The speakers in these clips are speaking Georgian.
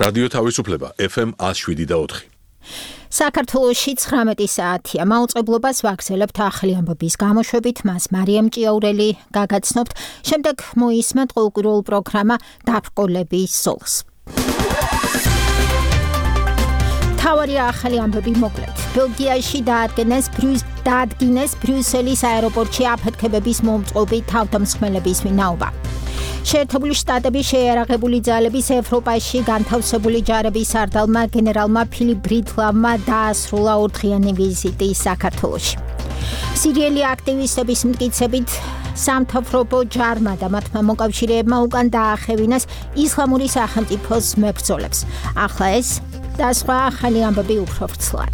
რადიო თავისუფლება FM 107.4. საქართველოში 19 საათია. მაუწყებლობას ვაგრძელებთ ახალი ამბების გამოშვებით, მას მარიამ ჭიაურელი გაგაცნობთ. შემდეგ მოისმენთ ყოველკვირეულ პროგრამა დაბრკოლების სოლს. თავარი ახალი ამბები მოკლედ. ბელგიაში დაადგინეს ბრიუსელის აეროპორტში აფეთქებების მომწყობი თავდამსხმელების ვინაობა. შეერთებული შტატების შეიარაღებული ძალების ევროპაში განთავსებული ჯარების სარდალმა გენერალმა ფილიპ ბრიტლავმა დაასრულა 4-დღიანი ვიზიტი საქართველოში. სირიელი აქტივისტების მტკიცებით სამთავრობო ჯარმა და მათმა მოკავშირეებმა უკან დაახევინეს ისლამური სახელმწიფოს მებრძოლებს. ახლა ეს და სხვა ახალი ამბები უფრო ვრცლად.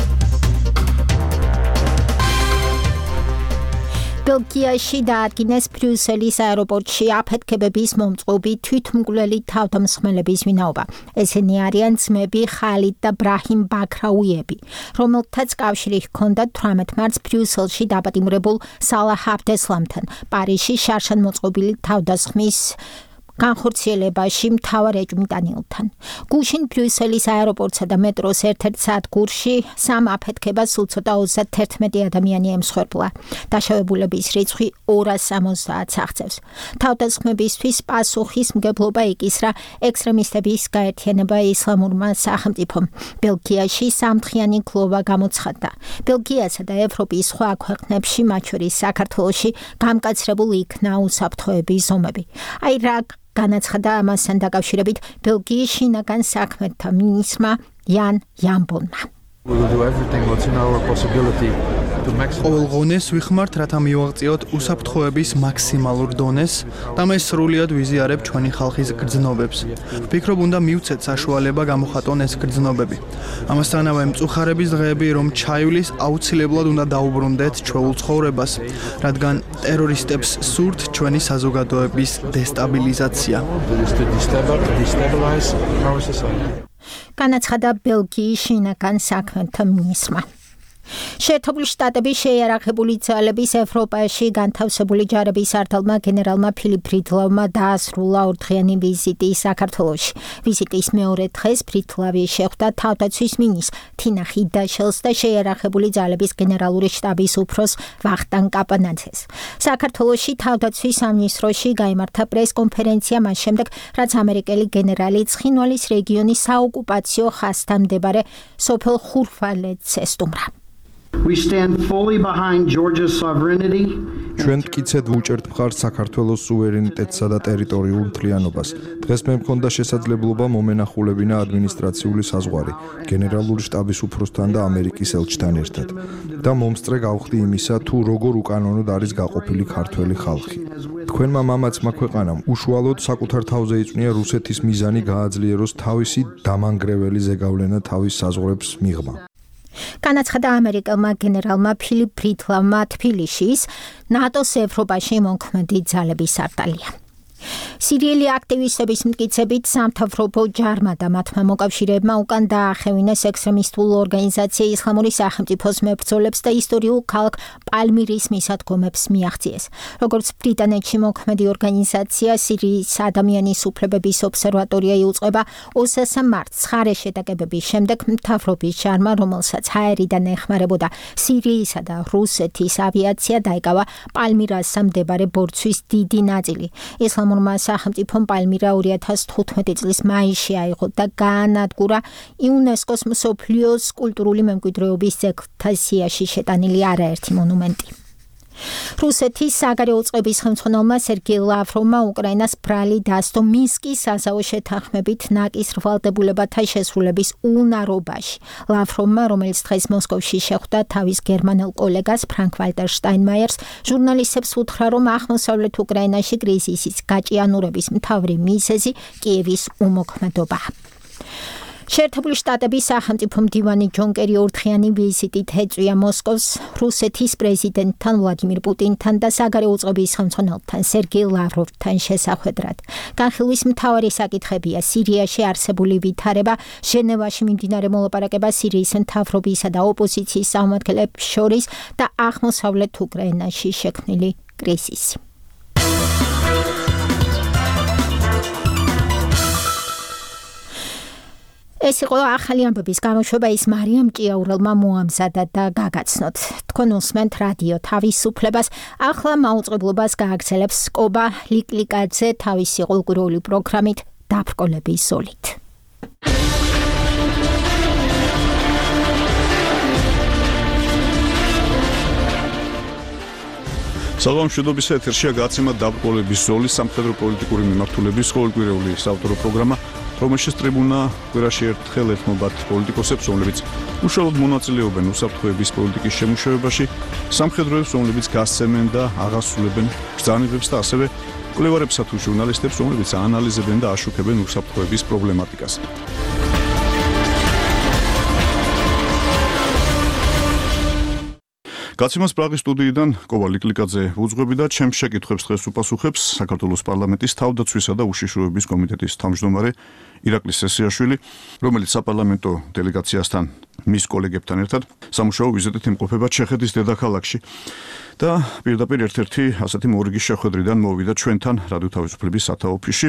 ბელგიაში დაადგინეს ბრიუსელის აეროპორტში აფეთქებების მომწყობი თვითმკვლელი თავდამსხმელების ვინაობა. ესენი არიან ძმები ხალიდ და ბრაჰიმ ბაქრაუიები, რომელთაც კავშირი ჰქონდათ 18 მარტს ბრიუსელში დაპატიმრებულ სალაჰ აბდესლამთან, პარიზში შარშანმოწყობილი თავდასხმის განხორციელებაში მთავარ ეჭვმიტანილთან. გუშინ ბრიუსელის აეროპორტსა და მეტროს ერთ-ერთ სადგურში სამ აფეთქებას სულ ცოტა 31 ადამიანი ემსხვერპლა. დაშავებულების რიცხვი 270-ს აღწევს. თავდასხმებისთვის პასუხისმგებლობა იკისრა ექსტრემისტების გაერთიანება ისლამურმა სახელმწიფომ. ბელგიაში სამდღიანი გლოვა გამოცხადდა. ბელგიასა და ევროპის სხვა ქვეყნებში, მათ შორის საქართველოში, გამკაცრებულ იქნა უსაფრთხოების ზომები. აი რა განაცხადა ამასთან დაკავშირებით ბელგიის შინაგან საქმეთა მინისტრმა იან იანბონმა. ყოველ ღონეს ვიხმართ, რათა მივაღწიოთ უსაფრთხოების მაქსიმალურ დონეს და მე სრულად ვიზიარებ ჩვენი ხალხის გრძნობებს. ვფიქრობ, უნდა მივცეთ საშუალება გამოხატონ ეს გრძნობები. ამასთანავე მწუხარების დღეები რომ ჩაივლის, აუცილებლად უნდა დაუბრუნდეთ ჩვეულ ცხოვრებას, რადგან ტერორისტებს სურთ ჩვენი საზოგადოების დესტაბილიზაცია. განაცხადა ბელგიის შინაგან საქმეთა მინისტრმა. შეერთებული შტატების შეიარაღებული ძალების ევროპაში განთავსებული ჯარების სარდალმა გენერალმა ფილიპ ბრიტლავმა დაასრულა 4-დღიანი ვიზიტი საქართველოში. ვიზიტის მეორე დღეს ბრიტლავი შეხვდა თავდაცვის მინისტრ თინა ხიდაშელს და შეიარაღებული ძალების გენერალური შტაბის უფროს ვახტანგ კაპანაძეს. საქართველოში თავდაცვის სამინისტროში გაიმართა პრესკონფერენცია მას შემდეგ, რაც ამერიკელი გენერალი ცხინვალის რეგიონის საოკუპაციო ხაზთან მდებარე სოფელ ხურვალეთს ესტუმრა. We stand fully behind Georgia's sovereignty. ჩვენ მტკიცედ ვუჭერთ მხარს საქართველოს სუვერენიტეტსა და ტერიტორიულ მთლიანობას. დღეს მე მქონდა შესაძლებლობა მომენახულებინა ადმინისტრაციული საზღვარი გენერალური შტაბის უფროსთან და ამერიკის ელჩთან ერთად და მომსწრე გავხდი იმისა, თუ როგორ უკანონოდ არის გაყოფილი ქართველი ხალხი. თქვენმა მამაცმა ქვეყანამ უშუალოდ საკუთარ თავზე იწვნია რუსეთის მიზანი გააძლიეროს თავისი დამანგრეველი ზეგავლენა თავის საზღვრებს მიღმა. განაცხადა ამერიკელმა გენერალმა ფილიპ ბრიტლავმა თბილისის ნატოს ევროპაში მომქმედი ძალების სარდალია. სირიელი აქტივისტების მტკიცებით სამთავრობო ჯარმა და მათმა მოკავშირეებმა უკან დაახევინეს ექსტრემისტულ ორგანიზაცია ისლამური სახელმწიფოს მებრძოლებს და ისტორიულ ქალაქ პალმირის მისადგომებს მიაღწიეს. როგორც ბრიტანეთში მოქმედი ორგანიზაცია სირიის ადამიანის უფლებების ობსერვატორია იუწყება 20 მარტს ხარე შეტაკებების შემდეგ მთავრობის ჯარმა, რომელსაც ჰაერიდან ეხმარებოდა სირიისა და რუსეთის ავიაცია, დაიკავა პალმირასა მდებარე ბორცვის დიდი ნაწილი. ისლამურმა სახელმწიფომ პალმირა 2015 წლის მაისში აიღო და გაანადგურა იუნესკოს მსოფლიოს კულტურული მემკვიდრეობის ძეგლთა სიაში შეტანილი არაერთი მონუმენტი. რუსეთის საგარეო წყობის ხელმძღვანელმა სერგეი ლავროვმა უკრაინას ბრალი დასდო მინსკის საზავო შეთანხმებით ნაკის რვალდებულებათა შესრულების უნარობაში. ლავროვმა, რომელიც დღეს მოსკოვში შეხვდა თავის გერმანელ კოლეგას ფრანკ ვალტერ შტაინმაიერს, ჟურნალისტებს უთხრა, რომ აღმოსავლეთ უკრაინაში კრიზისის გაჭიანურების მთავარი მიზეზი კიევის უმოქმედობაა. შეერთებული შტატების სახელმწიფო მდივანი ჯონ კერი 4-დღიანი ვიზიტით ეწვია მოსკოვს რუსეთის პრეზიდენტთან ვლადიმირ პუტინთან და საგარეო წყობის ხელმძღვანელთან სერგეი ლავროვთან შესახვედრად. განხილვის მთავარი საკითხებია სირიაში არსებული ვითარება, ჟენევაში მიმდინარე მოლაპარაკება სირიის მთავრობისა და ოპოზიციის წარმომადგენლებს შორის და აღმოსავლეთ უკრაინაში შექმნილი კრიზისი. ეს იყო ახალი ამბების გამოშვება, ის მარიამ ჭიაურელმა მოამზადა და გაგაცნოთ. თქვენ უსმენთ რადიო თავისუფლებას. ახლა მაუწყებლობას გააგრძელებს კობა ლიკლიკაძე თავისი ყოველკვირეული პროგრამით დაბრკოლების ზოლით. საღამოშვიდობის ეთერშია გაცემა დაბრკოლების ზოლის სამხედრო პოლიტიკური მიმართულების ყოველკვირეული საავტორო პროგრამა, რომელშიც ტრიბუნა კვირაში ერთხელ ეთმობათ პოლიტიკოსებს, რომლებიც უშუალოდ მონაწილეობენ უსაფრთხოების პოლიტიკის შემუშავებაში, სამხედროებს, რომლებიც გასცემენ და აღასრულებენ ბრძანებებს და ასევე მკვლევარებსა თუ ჟურნალისტებს, რომლებიც აანალიზებენ და აშუქებენ უსაფრთხოების პრობლემატიკას. გაცემას პრაღის სტუდიიდან კოვა ლიკლიკაძე უძღვები და ჩემს შეკითხვებს დღეს უპასუხებს საქართველოს პარლამენტის თავდაცვისა და უშიშროების კომიტეტის თავმჯდომარე ირაკლი სესიაშვილი, რომელიც საპარლამენტო დელეგაციასთან მის კოლეგებთან ერთად სამუშაო ვიზიტით იმყოფება ჩეხეთის დედაქალაქში და პირდაპირ ერთ-ერთი ასეთი მორიგის შეხვედრიდან მოვიდა ჩვენთან რადიო თავისუფლების სათავო ოფისში.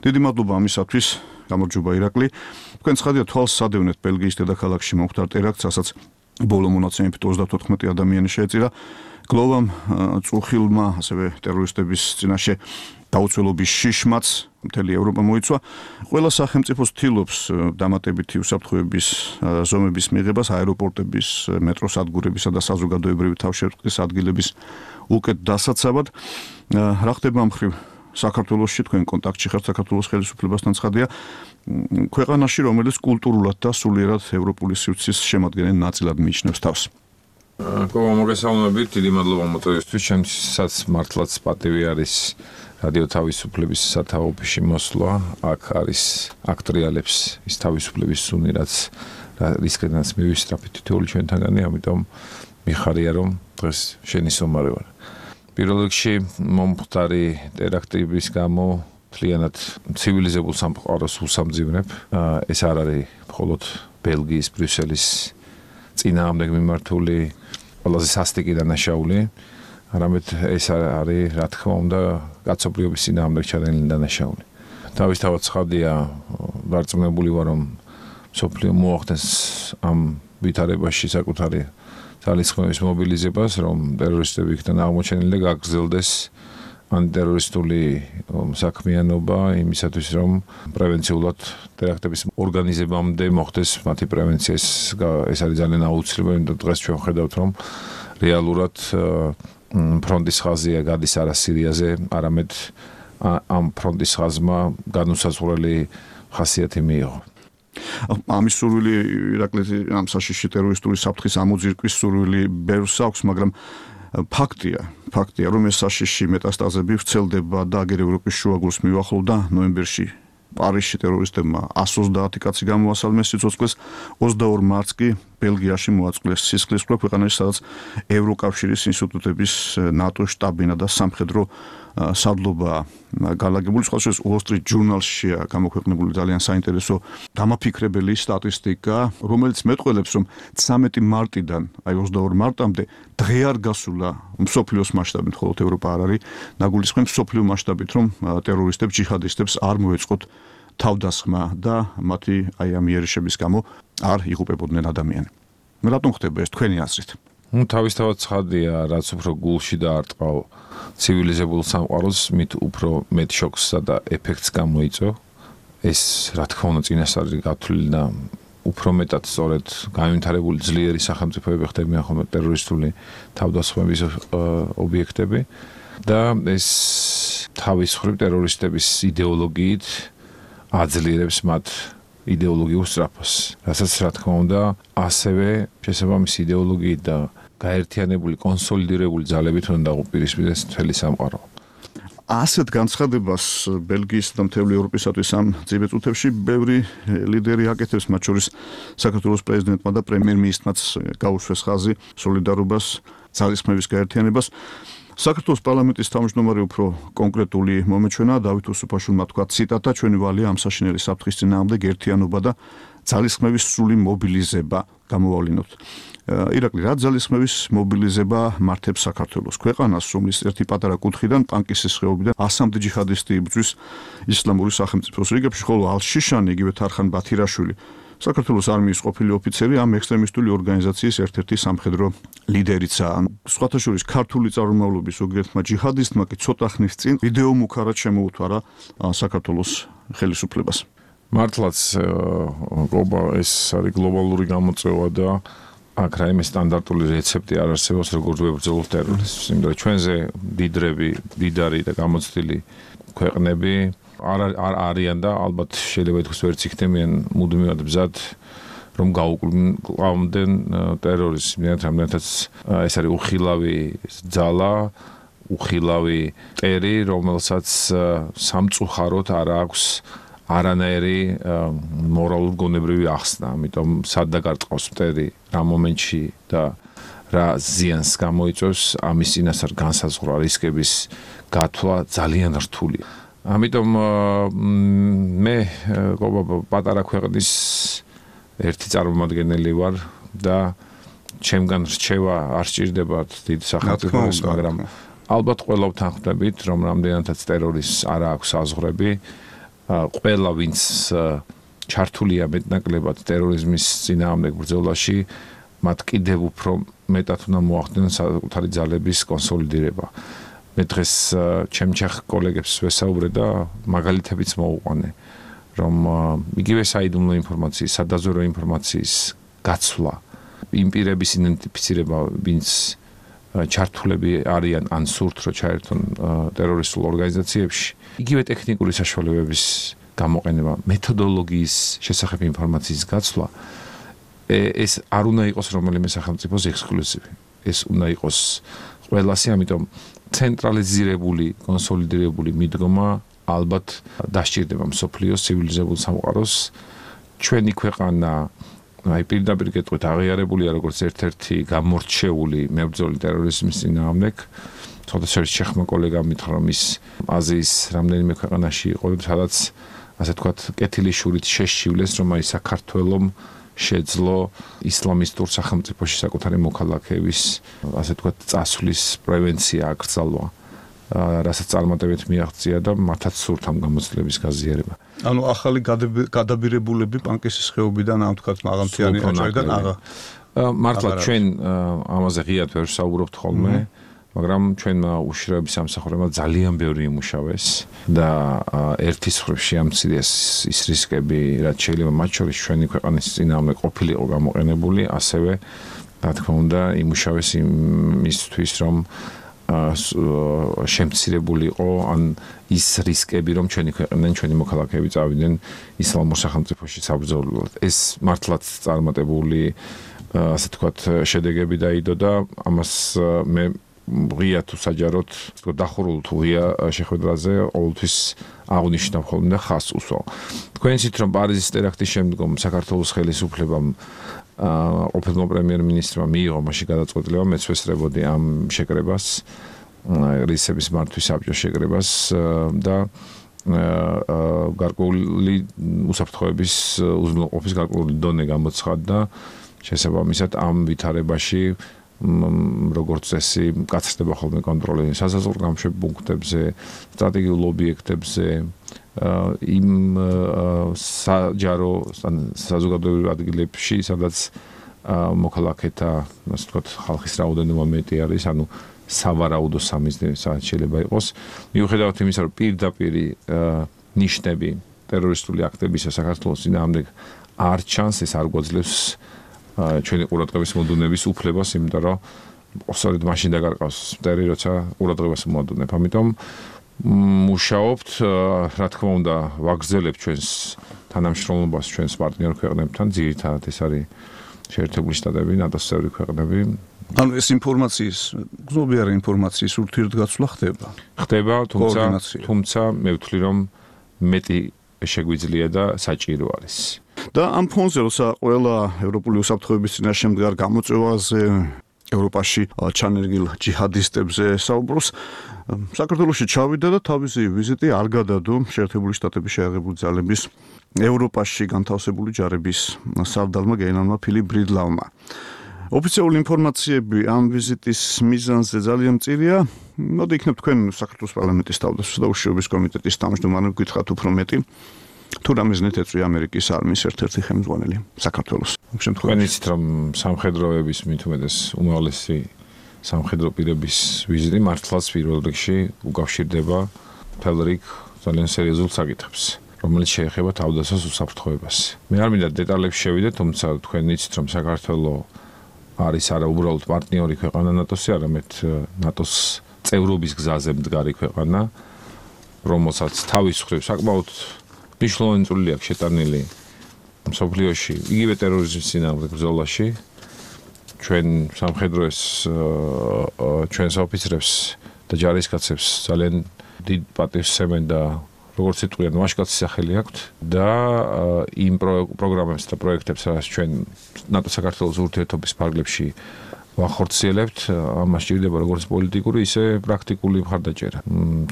დიდი მადლობა ამისათვის, გამარჯობა ირაკლი. თქვენ ცხადია თვალს სადევნეთ ბელგიის დედაქალაქში მომხდარ ტერაქტს, რასაც ბოლო მონაცემებით 34 ადამიანი შეეწირა. გლოვამ, წუხილმა, ასევე ტერორისტების წინაშე დაუცველობის შიშმაც მთელი ევროპა მოიცვა. ყველა სახელმწიფო ცდილობს დამატებითი უსაფრთხოების ზომების მიღებას აეროპორტების, მეტროსადგურებისა და საზოგადოებრივი თავშეყრის ადგილების უკეთ დასაცავად. რა ხდება ამ მხრივ საქართველოში, თქვენ კონტაქტში ხართ საქართველოს ხელისუფლებასთან, ცხადია, ქვეყანაში, რომელიც კულტურულად და სულიერად ევროპული სივრცის შემადგენელ ნაწილად მიიჩნევს თავს. კოვა, მოგესალმებით, დიდი მადლობა მოწვევისთვის. ჩემთვისაც მართლაც პატივი არის რადიო თავისუფლების სათავო ოფისში მოსვლა. აქ არის აქ ტრიალებს ის თავისუფლების სუნი, რაც რისკედანაც მივისწრაფით თითოეული ჩვენთანგანი, ამიტომ მიხარია, რომ დღეს შენი სომარი ვარ. პირველ რიგში მომხდარი ტერაქტების გამო მთლიანად ცივილიზებულ სამყაროს უსამძივნებ. ეს არ არის მხოლოდ ბელგიის, ბრიუსელის წინააღმდეგ მიმართული ყველაზე სასტიკი დანაშაული, არამედ ეს არის, რა თქმა უნდა, კაცობრიობის წინააღმდეგ ჩადენილი დანაშაული. თავისთავად ცხადია, დარწმუნებული ვარ, რომ მსოფლიო მოახდენს ამ ვითარებაში საკუთარი ძალისხმევის მობილიზებას, რომ ტერორისტები იქიდან აღმოჩენილი და გაგრძელდეს ანტიტერორისტული საქმიანობა იმისათვის, რომ პრევენციულად ტერაქტების ორგანიზებამდე მოხდეს მათი პრევენცია. ეს არის ძალიან აუცილებელი და დღეს ჩვენ ვხედავთ, რომ რეალურად ფრონტის ხაზია გადის არა სირიაზე, არამედ ამ ფრონტის ხაზმა განუსაზღვრელი ხასიათი მიიღო. ამის სურვილი ირაკლი ამ საშიში ტერორისტული საფრთხის ამოძირკვის სურვილი ბევრს აქვს, მაგრამ ფაქტია, რომ ეს საშიში მეტასტაზები ვრცელდება და აგერ ევროპის შუაგულს მივახლოვდა ნოემბერში პარიზში ტერორისტებმა 130 კაცი გამოასალმეს სიცოცხლეს, 22 მარტს კი ბელგიაში მოაწყვეს სისხლისღვრა ქვეყანაში, სადაც ევროკავშირის ინსტიტუტების ნატო შტაბინა და სამხედრო სადლობა განლაგებული. სხვადასხვა Wall Street Journal-შია გამოქვეყნებული ძალიან საინტერესო დამაფიქრებელი სტატისტიკა, რომელიც მეტყველებს, რომ 13 მარტიდან აი 22 მარტამდე დღე არ გასულა მსოფლიოს მასშტაბით, მხოლოდ ევროპა არ არის ნაგულისხმები მსოფლიო მასშტაბით, რომ ტერორისტებს, ჯიჰადისტებს არ მოეწყოთ თავდასხმა და მათი აი ამ იერიშების გამო არ იღუპებოდნენ ადამიანები. რატომ ხდება ეს თქვენი აზრით? თავისთავად ცხადია, რაც უფრო გულში დაარტყავ ცივილიზებულ სამყაროს, მით უფრო მეტ შოქსსა და ეფექტს გამოიწვევ. ეს, რა თქმა უნდა, წინასწარი გათვლილი და უფრო მეტად სწორედ განვითარებული ძლიერი სახელმწიფოები ხდებიან ხოლმე ტერორისტული თავდასხმების ობიექტები და ეს თავის მხრივ ტერორისტების იდეოლოგიით აძლიერებს მათ იდეოლოგიურ სწრაფას, რასაც რა თქმა უნდა ასევე შესაბამისი იდეოლოგიით და გაერთიანებული, კონსოლიდირებული ძალებით უნდა დაუპირისპირდეს მთელი სამყარო. ასეთ განცხადებას ბელგიის და მთელი ევროპისათვის ამ წიბე წუთებში ბევრი ლიდერი აკეთებს, მათ შორის საქართველოს პრეზიდენტმა და პრემიერ-მინისტრმაც გაუშვეს ხაზი სოლიდარობას, ძალისხმევის გაერთიანებას. საქართველოს პარლამენტის თავმჯდომარე უფრო კონკრეტული მომეჩვენა დავით უსუფაშვილმა თქვა ციტატა ჩვენი ვალია ამ საშინელი საფრთხის წინააღმდეგ ერთიანობა და ძალისხმევის სრული მობილიზება გამოვავლინოთ. ირაკლი, რა ძალისხმევის მობილიზება მართებს საქართველოს ქვეყანას, რომლის ერთი პატარა კუთხიდან პანკისის ხეობიდან 100-მდე ჯიჰადისტი იბრძვის ისლამური სახელმწიფოს რიგებში, ხოლო ალ-შიშანი, იგივე თარხან ბათირაშვილი საქართველოს არმიის ყოფილი ოფიცერი ამ ექსტრემისტული ორგანიზაციის ერთ-ერთი სამხედრო ლიდერიცაა. სხვათა შორის ქართული წარმომავლობის ზოგიერთმა ჯიჰადისტმა კი ცოტა ხნის წინ ვიდეო მუქარად შემოუთვარა საქართველოს ხელისუფლებას. მართლაც ეს არის გლობალური გამოწვევა და აქ რაიმე სტანდარტული რეცეპტი არ არსებობს, როგორც ვებრძოლოთ ტერორიზმს. იმიტომ რომ ჩვენზე დიდარი და გამოცდილი ქვეყნები არ არიან და ალბათ შეიძლება ითქვას ვერც იქნებიან მუდმივად ბზად რომ გაუკლავდნენ ტერორიზმს. რამდენადაც ეს არის უხილავი ძალა, უხილავი ტერი, რომელსაც სამწუხაროდ არ აქვს არანაირი მორალურ-გონებრივი ახსნა. ამიტომ სად დაგარწყავს მტერი რა მომენტში და რა ზიანს გამოიწვევს, ამის წინასწარ განსაზღვრა რისკების გათვლა ძალიან რთულია. ამიტომ მე პატარა ქვეყნის ერთი წარმომადგენელი ვარ და ჩემგან რჩევა არ სჭირდება დიდ სახელმწიფოს, მაგრამ ალბათ ყველა ვთანხმდებით, რომ რამდენადაც ტერორიზმს არ აქვს საზღვრები, ყველა ვინც ჩართულია მეტნაკლებად ტერორიზმის წინააღმდეგ ბრძოლაში, მათ კიდევ უფრო მეტად უნდა მოახდინონ საკუთარი ძალების კონსოლიდირება. მე დღეს ჩემჩახ კოლეგებს ვესაუბრე და მაგალითებიც მოუყვანე, რომ იგივე საიდუმლო ინფორმაციის, სადაზვერვო ინფორმაციის გაცვლა, იმ პირების იდენტიფიცირება, ვინც ჩართულები არიან ან სურთ რომ ჩაერთონ ტერორისტულ ორგანიზაციებში, იგივე ტექნიკური საშუალებების გამოყენება, მეთოდოლოგიის შესახებ ინფორმაციის გაცვლა, ეს არ უნდა იყოს რომელიმე სახელმწიფოს ექსკლუზივი. ეს უნდა იყოს ყველასი, ამიტომ ცენტრალიზირებული, კონსოლიდირებული მიდგომა ალბათ დასჭირდება მსოფლიოს ცივილიზებულ სამყაროს. ჩვენი ქვეყანა პირდაპირ კეთვით აღიარებულია როგორც ერთ-ერთი გამორჩეული მებრძოლი ტერორიზმის წინააღმდეგ. ცოტა შეხმა კოლეგამ მითხრა, რომ ის აზიის რამდენიმე ქვეყანაში იყო, სადაც ასე ვთქვათ, კეთილი შურით შეშივლეს, რომ აი საქართველოს შეძლო ისლამისტურ სახელმწიფოში საკუთარი მოქალაქეების, ასე ვთქვათ, წასვლის პრევენცია აკრძალვა, რასაც წარმატებით მიაღწია და მათაც სურთ ამ გამოცდილების გაზიარება. ანუ ახალი გადაბირებულები პანკისის ხეობიდან ამ ვთქვათ მაღალმთიანი აჭარიდან მართლა ჩვენ ამაზე ღიად ვერ საუბრობთ ხოლმე, მაგრამ ჩვენმა უშიშროების სამსახურებმა ძალიან ბევრი იმუშავეს და ერთის მხრივ შეამცირეს ის რისკები, რაც შეიძლება მათ შორის ჩვენი ქვეყნის წინააღმდეგ ყოფილიყო გამოყენებული, ასევე რა თქმა უნდა იმუშავეს იმისთვის, რომ შემცირებულიყო ან ის რისკები, რომ ჩვენი ქვეყნიდან ჩვენი მოქალაქეები წავიდნენ ისლამურ სახელმწიფოში საბრძოლველად. ეს მართლაც წარმატებული, ასე ვთქვათ, შედეგები დაიდო და ამას მე ღია თუ საჯაროდ დახურულ თუ ღია შეხვედრაზე ყოველთვის აღნიშნავ ხოლმე და ხაზს უსვავ. თქვენიცით რომ პარიზის ტერაქტის შემდგომ საქართველოს ხელისუფლებამ ყოფილმა პრემიერ-მინისტრმა მიიღო მაშინ გადაწყვეტილება, მეც ვესწრებოდი ამ შეკრებას, რისების მართვის საბჭოს შეკრებას და გარკვეული უსაფრთხოების უზრუნველყოფის გარკვეული დონე გამოცხადდა. შესაბამისად ამ ვითარებაში როგორც წესი გაცდება ხოლმე კონტროლი საზღვაო გამშვებ პუნქტებზე, სტრატეგიულ ობიექტებზე, იმ საჯარო საზოგადოებრივ ადგილებში, სადაც მოქალაქეთა, ასე ვთქვათ, ხალხის რაოდენობა მეტი არის, ანუ სავარაუდო სამიზნე შეიძლება იყოს. მიუხედავად იმისა, რომ პირდაპირ ნიშნები ტერორისტული აქტებისა საქართველოს წინააღმდეგ არ ჩანს, ეს არ გვაძლევს ჩვენი ყურადღების მოდუნების უფლებას, იმიტომ რომ სწორედ მაშინ დაგარყავს მტერი, როცა ყურადღებას მოდუნებ. ამიტომ მუშაობთ, რა თქმა უნდა, ვაგრძელებთ ჩვენს თანამშრომლობას ჩვენს პარტნიორ ქვეყნებთან, ძირითადად ეს არის შეერთებული შტატები, ნატოს წევრი ქვეყნები. ანუ ეს ინფორმაციის, გზნობიარე ინფორმაციის ურთიერთგაცვლა ხდება. ხდება, თუმცა მე ვთვლი, რომ მეტი შეგვიძლია და საჭირო არის. და ამ ფონზე, როცა ყველა ევროპული უსაფრთხოების წინაშე მდგარ გამოწვევაზე, ევროპაში ჩანერგილ ჯიჰადისტებზე საუბრობს, საქართველოში ჩავიდა და თავისი ვიზიტი არ გადადო შეერთებული შტატების შეიარაღებული ძალების ევროპაში განთავსებული ჯარების სარდალმა გენერალმა ფილიპ ბრიდლავმა. ოფიციალური ინფორმაციები ამ ვიზიტის მიზანზე ძალიან მწირია. მოდი იქნებ თქვენ საქართველოს პარლამენტის თავდაცვის და უშიშროების კომიტეტის თავმჯდომარე გითხრათ უფრო მეტი. თუ რამეზნით ეწვია ამერიკის არმიის ერთ-ერთი ხელმძღვანელი საქართველოს. შემთხვევაში რომ სამხედროების მithumedes უმრავლესი სამხედრო პირების ვიზიტი მართლაც პირველ რიგში უკავშირდება მთელ რიგ ძალიან სერიოზულ საკითხებს, რომელიც შეეხება თავდაცვას უსაფრთხოებას. მე არ მინდა დეტალებში შევიდე, თუმცა თქვენ იცით რომ საქართველოს არის არა უბრალოდ პარტნიორი ქვეყანა ნატოსი, არამედ ნატოს წევრობის გზაზე მდგარი ქვეყანა, რომელსაც თავის მხრივ საკმაოდ მნიშვნელოვანი წვლილი აქვს შეტანილი მსოფლიოში, იგივე ტერორიზმის წინააღმდეგ ბრძოლაში. ჩვენ სამხედროებს, ჩვენს ოფიცრებს და ჯარისკაცებს ძალიან დიდ პატივს სცემენ და როგორც იტყვიან, ვაჟკაცის სახელი აქვთ და იმ პროგრამებს და პროექტებს, რაც ჩვენ ნატო-საქართველოს ურთიერთობის ფარგლებში ვახორციელებთ, ამას სჭირდება როგორც პოლიტიკური, ისე პრაქტიკული მხარდაჭერა.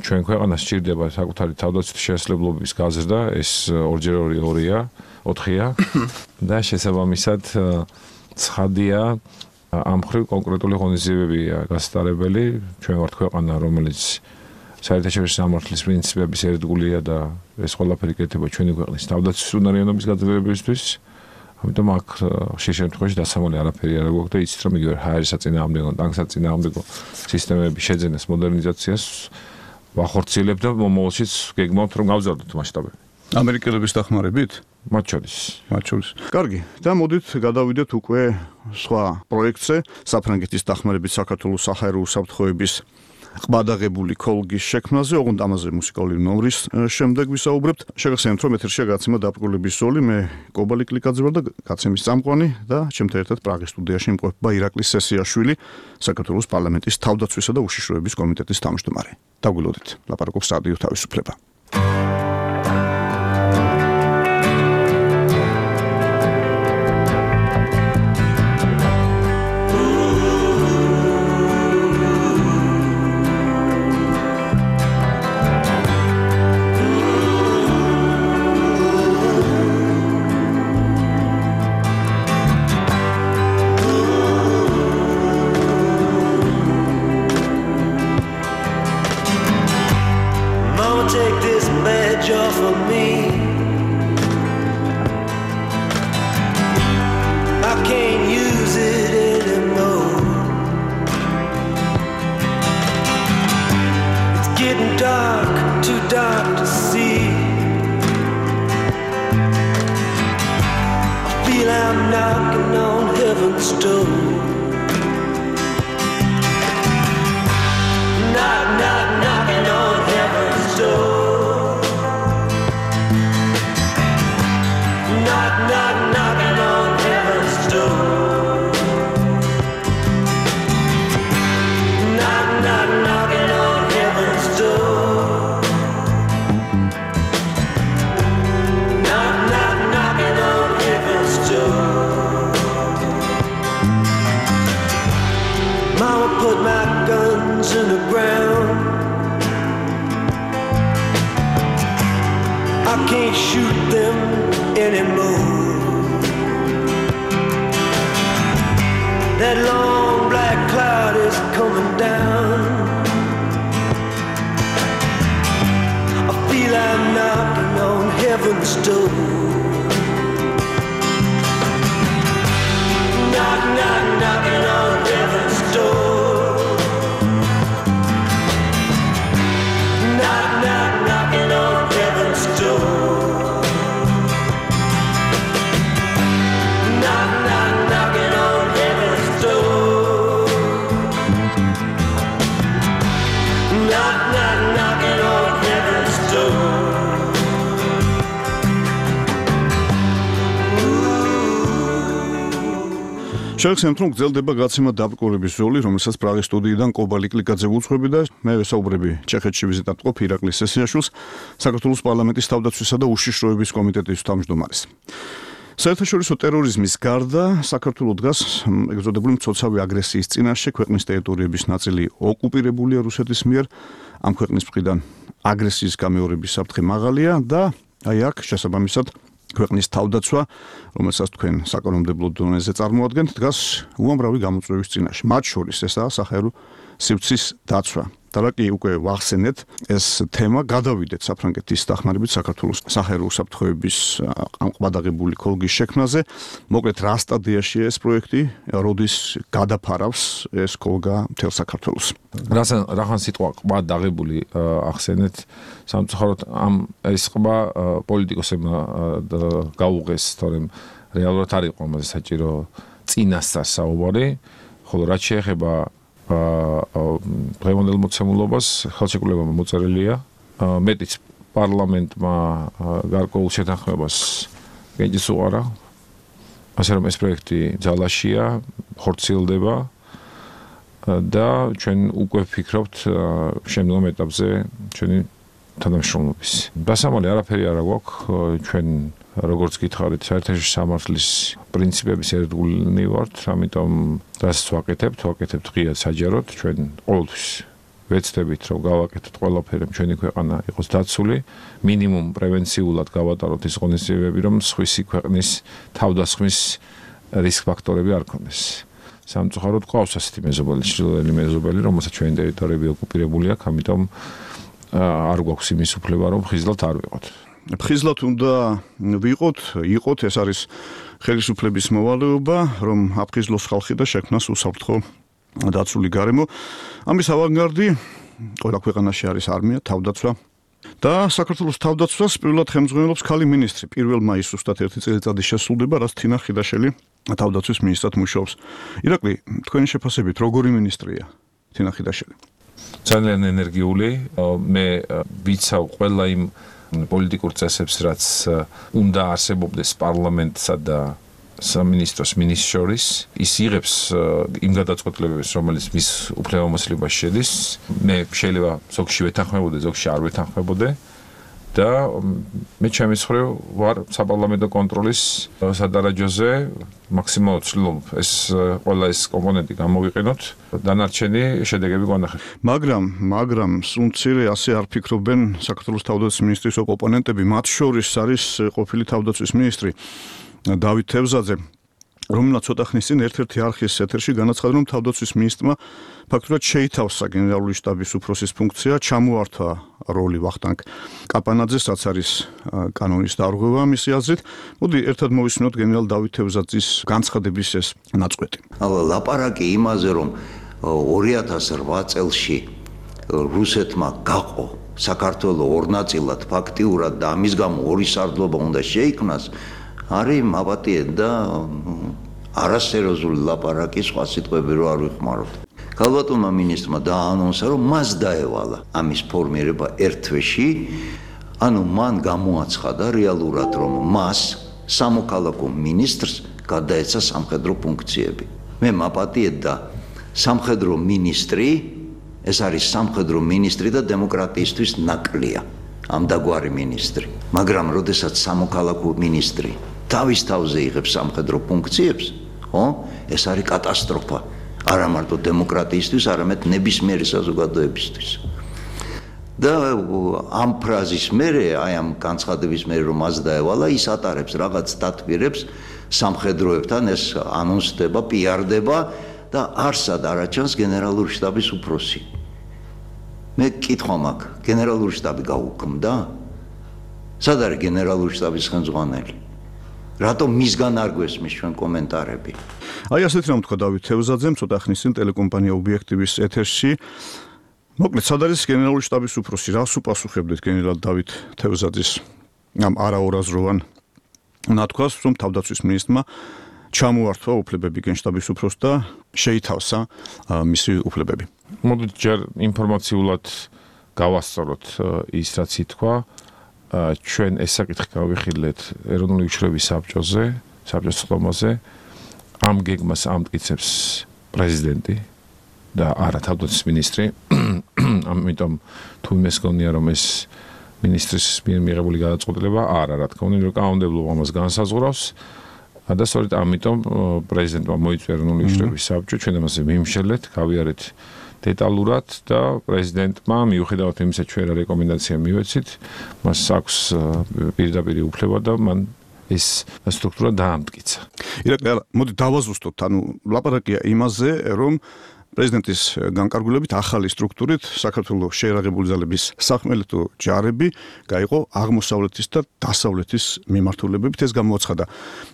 ჩვენ ქვეყანას სჭირდება საკუთარი თავდაცვის შესაძლებლობის გაზრდა, ეს 2x2-2-ია, 4-ია და შესაბამისად ცხადია ამ მხრივ კონკრეტული ღონისძიებებია გასტარებელი. ჩვენ ვართ ქვეყანა, რომელიც საერთაშორისო სამართლის პრინციპების ერთგულია და ეს ყველაფერი კეთდება ჩვენი ქვეყნის თავდაცვის უნარიანობის გაძლიერებისთვის. ამიტომ აქ ხშირ შემთხვევაში დასამალი არაფერი არ გვაქვს და იცით რომ იგივე ჰაერის საწინააღმდეგო, ტანკის საწინააღმდეგო სისტემების შეძენას, მოდერნიზაციას ვახორციელებთ და მომავალშიც გეგმავთ რომ გავზარდოთ მასშტაბები. ამერიკელების დახმარებით? მათ შორის. კარგი, და მოდით გადავიდეთ უკვე სხვა პროექტზე, საფრანგეთის დახმარებით საქართველოს საჰაერო უსაფრთხოების ყბადაღებული ქოლგის შექმნაზე, ოღონდ ამაზე მუსიკალური ნომრის შემდეგ ვისაუბრებთ. შეგახსენებთ, რომ ეთერშია გაცემა დაბრკოლების ზოლი, მე კობალი კლიკაძე ვარ და გაცემის წამყვანი და ჩემთან ერთად პრაღის სტუდიაში იმყოფება ირაკლი სესიაშვილი, საქართველოს პარლამენტის თავდაცვისა და უშიშროების კომიტეტის თავმჯდომარე. დაგვილოდეთ, ლაპარაკობს რადიო თავისუფლება. შეგახსენებთ, რომ გრძელდება გაცემა დაბრკოლების ზოლი, რომელსაც პრაღის სტუდიიდან კობალი კლიკაძე უძღვები და მე ვესაუბრები ჩეხეთში ვიზიტად მყოფ ირაკლი სესიაშვილს, საქართველოს პარლამენტის თავდაცვისა და უშიშროების კომიტეტის თავმჯდომარეს. საერთაშორისო ტერორიზმის გარდა საქართველოს დგას ეგზოდებული მცოცავი აგრესიის წინაშე, ქვეყნის ტერიტორიების ნაწილი ოკუპირებულია რუსეთის მიერ, ამ ქვეყნის მხრიდან აგრესიის გამეორების საფრთხე მაღალია და აი აქ შესაბამისად ქვეყნის თავდაცვა, რომელსაც თქვენ საკანონმდებლო დონეზე წარმოადგენთ, დგას უამრავი გამოწვევის წინაშე. მათ შორის ესაა საჰაერო სივრცის დაცვა. და რა კი უკვე ვახსენეთ, ეს თემა გადავიდეთ საფრანგეთის დახმარებით საქართველოს სახერო უსაფრთხოების ყბადაღებული ქოლგის შექმნაზე. მოკლედ რა სტადიაშია ეს პროექტი, როდის გადაფარავს ეს ქოლგა მთელ საქართველოს? რახან სიტყვა ყბადაღებული ახსენეთ, სამწუხაროდ ამ ეს ყბა პოლიტიკოსებმა გაუღეს, თორემ რეალურად არ იყო ამაზე საჭირო წინასწარ საუბარი, ხოლო რაც შეეხება დღევანდელ მოცემულობას ხელშეკრულებამ მოწერილია მეტიც პარლამენტმა გარკვეულ შეთანხმებას გენჯის უყარა ასე რომ ეს პროექტი ძალაშია ხორციელდება და ჩვენ უკვე ვფიქრობთ შემდგომ ეტაპზე ჩვენი თანამშრომლობის დასამალი არაფერი არ აქვს ჩვენ როგორც გითხარით საერთაშორისო სამართლის პრინციპების ერთგულნი ვართ, ამიტომ რასაც ვაკეთებთ ღიად საჯაროდ, ჩვენ ყოველთვის ვეცდებით, რომ გავაკეთოთ ყველაფერი, ჩვენი ქვეყანა იყოს დაცული, მინიმუმ პრევენციულად გავატაროთ ის ღონისძიებები, რომ სხვისი ქვეყნის თავდასხმის რისკ ფაქტორები არ ქონდეს. სამწუხაროდ ყავს ასეთი მეზობელი, ჩრდილოელი მეზობელი, რომელსაც ჩვენი ტერიტორიები ოკუპირებული აქვს, ამიტომ არ გვაქვს იმის უფლება, რომ ხიზლად არ ვიყოთ. ხიზლად უნდა იყოთ, ეს არის ხელისუფლების მოვალეობა, რომ აფხიზლოს ხალხი და შექმნას უსაფრთხო დაცული გარემო. ამის ავანგარდი ყველა ქვეყანაში არის არმია, თავდაცვა და საქართველოს თავდაცვას პირველად ხელმძღვანელობს ქალი მინისტრი. 1 მაისს ზუსტად 1 წელიწადი შესრულდება, რაც თინა ხიდაშელი თავდაცვის მინისტრად მუშაობს. ირაკლი, თქვენი შეფასებით როგორი მინისტრია თინა ხიდაშელი? ძალიან ენერგიული, მე ვიცავ ყველა იმ პოლიტიკურ წესებს, რაც უნდა არსებობდეს პარლამენტსა და სამინისტროს მინისტრს შორის, ის იღებს იმ გადაწყვეტილებებს, რომელიც მის უფლებამოსილებას შედის. მე შეიძლება ზოგში ვეთანხმებოდე, ზოგში არ ვეთანხმებოდე და მე ჩემი მხრივ ვარ საპარლამენტო კონტროლის სადარაჯოზე მაქსიმალურად ვცდილობ ეს ყველა ეს კომპონენტი გამოვიყენოთ, დანარჩენი შედეგები გვანახეთ. მაგრამ სულ ასე არ ფიქრობენ საქართველოს თავდაცვის მინისტრის ოპონენტები, მათ შორის არის ყოფილი თავდაცვის მინისტრი დავით თევზაძე, რომელსაც ცოტა ხნის წინ ერთ-ერთი არხის ეთერში განაცხადა, რომ თავდაცვის მინისტრმა ფაქტურად შეითავსა გენერალური შტაბის უფროსის ფუნქცია, ჩამოართვა როლი ვახტანგ კაპანაძეს, რაც არის კანონის დარღვევა მისი აზრით. მოდი ერთად მოვისმინოთ გენერალ დავით თევზაძის განცხადების ეს ნაწყვეტი. ლაპარაკი იმაზე, რომ 2008 წელში რუსეთმა გაყო საქართველოს ორ ნაწილად ფაქტიურად და ამის გამო ორი სარდლობა უნდა შეიქმნას, არის მაპატიეთ და არასერიოზული ლაპარაკი, სხვა სიტყვები რო არ ვიხმაროთ. ქალბატონმა მინისტრმა დაანონსა, რომ მას დაევალა ამის ფორმირება ერთ თვეში, ანუ მან გამოაცხადა რეალურად, რომ მას სამოქალაქო მინისტრს გადაეცა სამხედრო ფუნქციები. მე მაპატიეთ და სამხედრო მინისტრი, ეს არის სამხედრო მინისტრი და დემოკრატიისთვის ნაკლია, ამდაგვარი მინისტრი. მაგრამ როდესაც სამოქალაქო მინისტრი თავის თავზე იღებს სამხედრო ფუნქციებს, ეს არის კატასტროფა. არა მარტო დემოკრატიისთვის, არამედ ნებისმიერი საზოგადოებისთვის. და ამ ფრაზის მერე, აი ამ განცხადების მერე, რომ მას დაევალა, ის ატარებს რაღაც დათბირებს სამხედროებთან, ეს ანონსდება, პიარდება და არსად არაჩანს გენერალური შტაბის უფროსი. მე კითხვა მაქვს, გენერალური შტაბი გაუქმდა? სად არის გენერალური შტაბის ხელმძღვანელი? რატომ მისგან არ გვესმის ჩვენ კომენტარები? აი ასეთ რამ თქვა დავით თევზაძემ ცოტა ხნის წინ ტელეკომპანია ობიექტივის ეთერში. მოკლედ, სად არის გენერალური შტაბის უფროსი? რას უპასუხებდით გენერალ დავით თევზაძის ამ არაორაზროვან ნათქვას, რომ თავდაცვის მინისტრმა ჩამოართვა უფლებები გენშტაბის უფროსს და შეითავსა მისი უფლებები. მოდით ჯერ ინფორმაციულად გავასწოროთ ის, რაც ითქვა. ჩვენ ეს საკითხი გავიხილეთ ეროვნული უშუალობის საბჭოზე, საბჭოს ხდომაზე. ამ გეგმას ამტკიცებს პრეზიდენტი და არა თავდაცვის მინისტრი. ამიტომ თუ იმეს გონია, რომ ეს მინისტრის მიერ მიღებული გადაწყვეტილება არა, რა თქმა უნდა, კანონმდებლობა ამას განსაზღვრავს. და სწორედ ამიტომ პრეზიდენტმა მოიწვია ეროვნული უშუალობის საბჭო, ჩვენ ამაზე ვიმშელეთ, გავიარეთ დეტალურად და პრეზიდენტმა მიუხედავად იმისა, ჩვენ რა რეკომენდაცია მივეცით, მას აქვს პირდაპირ უფლება და მან ეს სტრუქტურა დაამტკიცა. ირაკლი, მოდი დავაზუსტოთ, ანუ ლაპარაკია იმაზე, რომ პრეზიდენტის განკარგულებით ახალი სტრუქტურით საქართველოს შეერაღებული ძალების სახმელეთო ჯარები გაიყო აღმოსავლეთის და დასავლეთის მიმართულებებით. ეს გამოაცხადა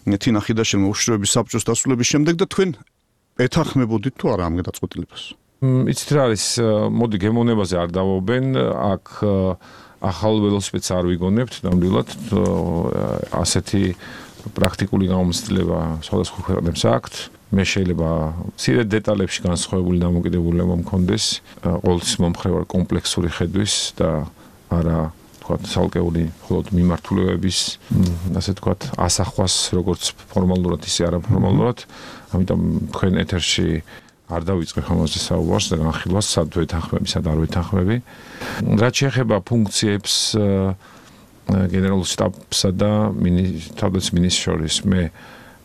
თინა ხიდაშვილმა უშიშროების საბჭოს დასრულების შემდეგ და თქვენ ეთანხმებოდით თუ არა ამ გადაწყვეტილებას? იცით რა არის, მოდი გემოვნებაზე არ დავობენ, აქ ახალ ველოსიპედს არ ვიგონებთ, ნამდვილად ასეთი პრაქტიკული გამოცდილება სხვადასხვა ქვეყნებს აქვთ. მე შეიძლება მცირე დეტალებში განსხვავებული დამოკიდებულება მქონდეს ყოველთვის მომხრე ვარ კომპლექსური ხედვის და არა თქვათ ცალკეული მხოლოდ მიმართულებების ასე თქვათ ასახვას როგორც ფორმალურად ისე არაფორმალურად, ამიტომ თქვენ ეთერში არ დავიწყებ ამაზე საუბარს და განხილვას სად ვეთანხმები, სად არ ვეთანხმები. რაც შეეხება ფუნქციებს გენერალურ შტაბსა და თავდაცვის მინისტრს შორის, მე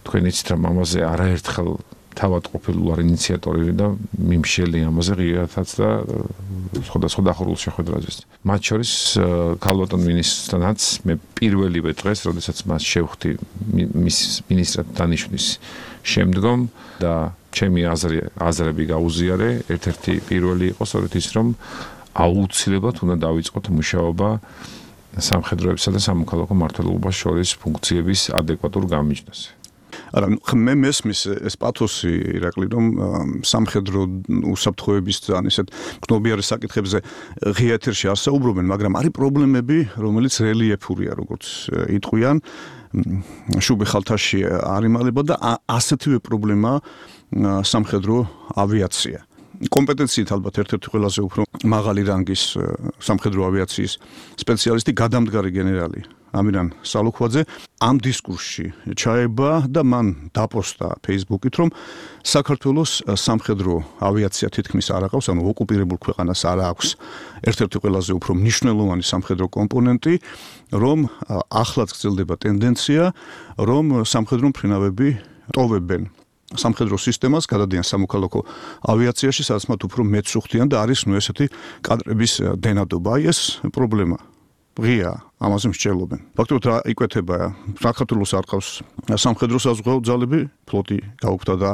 თქვენ იცით რომ ამაზე არაერთხელ თავად ყოფილი ვარ ინიციატორი და მიმშელი ამაზე ღირათაც და სხვადასხვა დახურულ შეხვედრაზეც. მათ შორის ქალბატონ მინისტრთანაც მე პირველივე დღეს, როდესაც მას შევხვდი მის მინისტრად დანიშვნის შემდგომ და ჩემი აზრები გაუზიარე, ერთ-ერთი პირველი იყო სწორედ ის, რომ აუცილებლად უნდა დავიწყოთ მუშაობა სამხედროებსა და სამოქალაქო მმართველობას შორის ფუნქციების ადეკვატურ გამიჯნაზე. არა, მე მესმის ეს პათოსი ირაკლი, რომ სამხედრო უსაფრთხოების ძალიან ისეთ გნობიარე საკითხებზე ღია ეთერში არ საუბრობენ, მაგრამ არის პრობლემები, რომელიც რელიეფურია, როგორც იტყვიან, შუბი ხალთაში არ იმალება და ასეთივე პრობლემაა სამხედრო ავიაცია. კომპეტენციით ალბათ ერთ-ერთი ყველაზე უფრო მაღალი რანგის სამხედრო ავიაციის სპეციალისტი გადამდგარი გენერალი ამირან სალუქვაძე ამ დისკურსში ჩაება და მან დაპოსტა Facebook-ით, რომ საქართველოს სამხედრო ავიაცია თითქმის არ აქვს, ანუ ოკუპირებულ ქვეყანას არ აქვს ერთ-ერთი ყველაზე უფრო მნიშვნელოვანი სამხედრო კომპონენტი, რომ ახლაც გრძელდება ტენდენცია, რომ სამხედრო მფრინავები ტოვებენ სამხედრო სისტემას, გადადიან სამოქალაქო ავიაციაში, სადაც მათ უფრო მეცუხთიან და არის ესეთი კადრების დენადობა. აი ეს პრობლემა ღია, ამაზე მსჯელობენ. ფაქტობრივად რა იკვეთება, საქართველოს არ ყავს სამხედრო საზღვაო ძალები, ფლოტი გაუქმდა და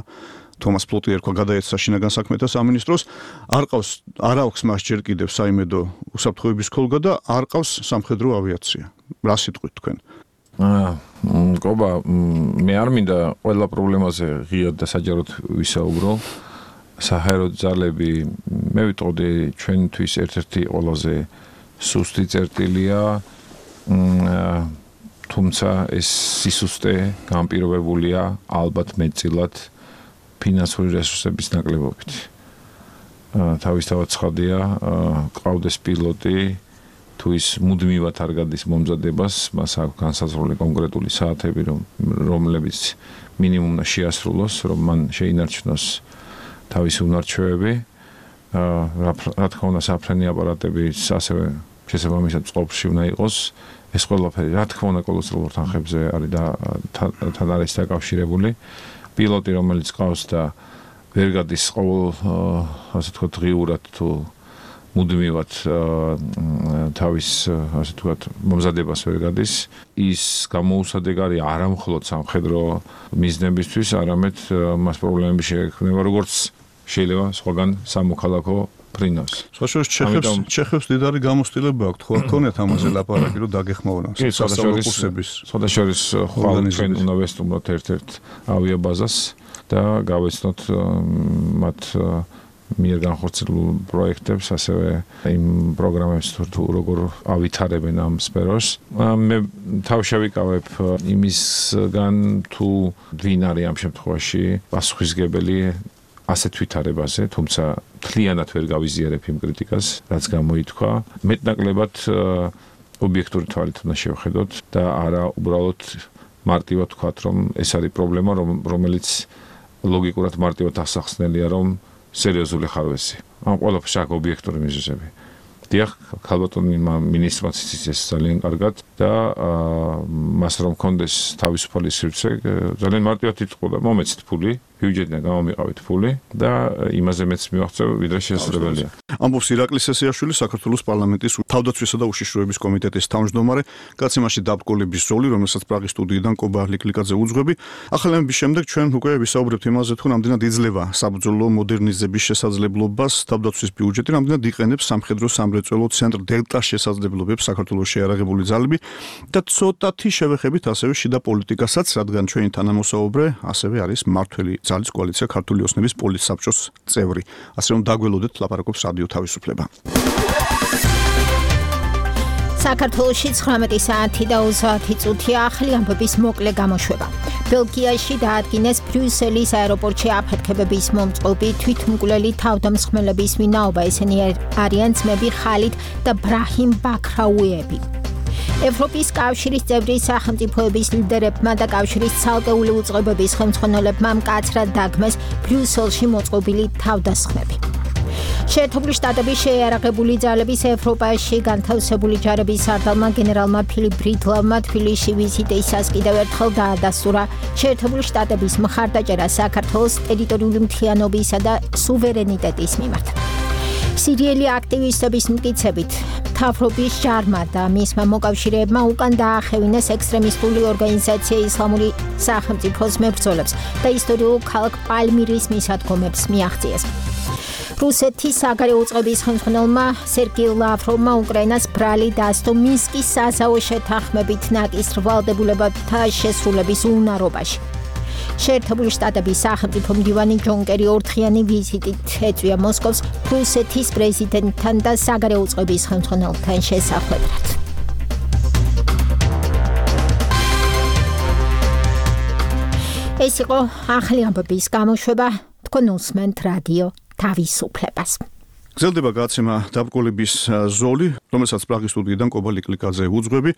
თომას ფლოტი ერქვა გადაეცა შინაგან საქმეთა სამინისტროს, არ აქვს მას ჯერ კიდევ საიმედო უსაფრთხოების ქოლგა და არ ყავს სამხედრო ავიაცია. რა სიტყვით თქვენ? კობა, მე არ მინდა ყველა პრობლემაზე ღიად და საჯაროდ ვისაუბრო. საჰაერო ძალები, მე ვიტყოდი ჩვენთვის ერთ-ერთი ყველაზე სუსტი წერტილია, თუმცა ეს სისუსტე განპირობებულია ალბათ მეტწილად ფინანსური რესურსების ნაკლებობით. თავისთავად ცხადია, ყავდეს პილოტი, თუ ის მუდმივად არ გადის მომზადებას, მას აქვს განსაზღვრული კონკრეტული საათები, რომლებიც მინიმუმ უნდა შეასრულოს, რომ მან შეინარჩუნოს თავისი უნარჩვევები. რა თქმა უნდა, საფრენი აპარატები ასევე შესაბამისად წყობში უნდა იყოს. ეს ყველაფერი, რა თქმა უნდა, კოლოსალურ თანხებზე არის და თან არის დაკავშირებული. პილოტი, რომელიც ყავს და ვერ გადის ყოველ, ასე ვთქვათ, ღიურად თუ მუდმივად თავის, ასე ვთქვათ, მომზადებას ვერ გადის, ის გამოუსადეგარი არა მხოლოდ სამხედრო მიზნებისთვის, არამედ მას პრობლემები შეექმნება, როგორც შეიძლება სხვაგან სამოქალაქო ფრინავს. სხვაშორის ჩეხებს დიდარი გამოცდილება აქვს, ხო არ ქონიათ ამაზე ლაპარაკი, რომ დაგეხმაურონ სასწავლო კურსების. სხვადასხვა ხვალ ჩვენ უნდა ვესტუმროთ ერთ-ერთ ავიაბაზას და გავეცნოთ მათ მიერ განხორციელებულ პროექტებს, ასევე იმ პროგრამებს თუ როგორ ავითარებენ ამ სფეროს. მე თავში ვიკავებ იმისგან, თუ ვინ არის ამ შემთხვევაში პასუხისმგებელი ასეთ ვითარებაზე, თუმცა მთლიანად ვერ გავიზიარებ იმ კრიტიკას, რაც გამოითქვა. მეტნაკლებად ობიექტური თვალით უნდა შევხედოთ და არა უბრალოდ მარტივად ვთქვათ, რომ ეს არის პრობლემა, რომელიც ლოგიკურად მარტივად ასახსნელია, რომ სერიოზული ხარვესი. ამ ყველაფერს აქვს ობიექტური მიზეზები. დიახ, ქალბატონმა მინისტრმა ციცის ძალიან კარგად და მას რომ კონდეს თავისუფალი სივრცე, ძალიან მარტივად იტყოდა, მომეცით ფული, ბიუჯეტიდან გამომიყავით ფული და იმაზე მეც მივახცევ, ვიდრე შესაძლებელია. ამბობს ირაკლი სესიაშვილი, საქართველოს პარლამენტის თავდაცვისა და უშიშროების კომიტეტის თავმჯდომარე, კაციმაში დაბკოლების ზოლი, რომელსაც პრაღის სტუდიიდან კობა ლიკლიკაძე უძღვები. ახალების შემდეგ ჩვენ უკვე ვისაუბრებთ იმაზე, თუ რამდენად იძლევა საბრძოლო მოდერნიზების შესაძლებლობას თავდაცვის ბიუჯეტი, რამდენად იყენებს სამხედრო სამრეწველო ცენტრ დელტას შესაძლებლობებს საქართველოს შეიარაღებული ძალები და ცოტათი შევეხებით ასევე შიდა პოლიტიკასაც, რადგან ჩვენი თანამოსაუბრე ასევე არის მართველი ძალის კოალიცია ქართული ოსნების პოლიტსაბჭოს წევრი. ასე რომ დაგველოდეთ ლაპარაკობს რადიო თავისუფლება. საქართველოში 19 საათი და 30 წუთია ახალი ამბების მოკლე გამოშვება. ბელგიაში დაადგინეს ბრიუსელის აეროპორტში აფეთქებების მომწყობი თვითმკვლელი თავდამსხმელების ვინაობა, ესენი არიან ძმები ხალიდ და ბრაჰიმ ბაქრაუიები. ევროპის კავშირის წევრი სახელმწიფოების ლიდერებმა და კავშირის ცალკეული უწყებების ხელმძღვანელებმა მკაცრად დაგმეს ბრიუსელში მოწყობილი თავდასხმები. შეერთებული შტატების შეიარაღებული ძალების ევროპაში განთავსებული ჯარების სარდალმა გენერალმა ფილიპ ბრიტლავმა თბილისში ვიზიტისას კიდევ ერთხელ დაადასტურა შეერთებული შტატების მხარდაჭერა საქართველოს ტერიტორიული მთლიანობისა და სუვერენიტეტის მიმართ. სირიელი აქტივისტების მტკიცებით, მთავრობის ჯარმა და მისმა მოკავშირეებმა უკან დაახევინეს ექსტრემისტული ორგანიზაცია ისლამური სახელმწიფოს მებრძოლებს და ისტორიულ ქალაქ პალმირის მისადგომებს მიაღწიეს. რუსეთის საგარეო უწყების ხელმძღვანელმა სერგეი ლავროვმა უკრაინას ბრალი დასდო მინსკის საზავო შეთანხმებით ნაკის რვალდებულებათა შესრულების უნარობაში. შეერთებული შტატების სახელმწიფო მდივანი ჯონ კერი ორდღიანი ვიზიტით ეწვია მოსკოვს რუსეთის პრეზიდენტთან და საგარეო უწყების ხელმძღვანელთან შესახვედრად. ეს იყო ახალი ამბების გამოშვება, თქვენ უსმენთ რადიო თავისუფლებას. გრძელდება გაცემა დაბკოლების ზოლი, რომელსაც პრაღის სტუდიიდან კობა ლიკლიკაძე უძღვები.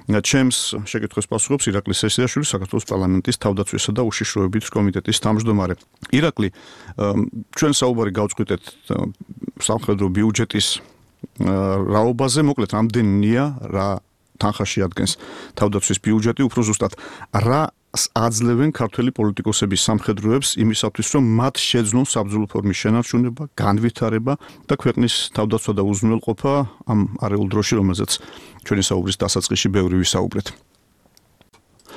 ჩემს შეკითხვას პასუხობს ირაკლი სესიაშვილი, საქართველოს პარლამენტის თავდაცვისა და უშიშროების კომიტეტის თავმჯდომარე. ირაკლი, ჩვენ საუბარი გავწყვიტეთ სამხედრო ბიუჯეტის რაობაზე, მოკლედ რამდენია რა თანხაში ადგენს თავდაცვის ბიუჯეტი, უფრო ზუსტად რა აძლევენ ქართველი პოლიტიკოსების სამხედროებს იმისათვის, რომ მათ შეძნონ საბრძოლო ფორმის შენარჩუნება, განვითარება და ქვეყნის თავდაცვა და უზრუნველყოფა ამ არეულ დროში, რომელზეც ჩვენი საუბრის დასაწყისში ბევრი ვისაუბრეთ.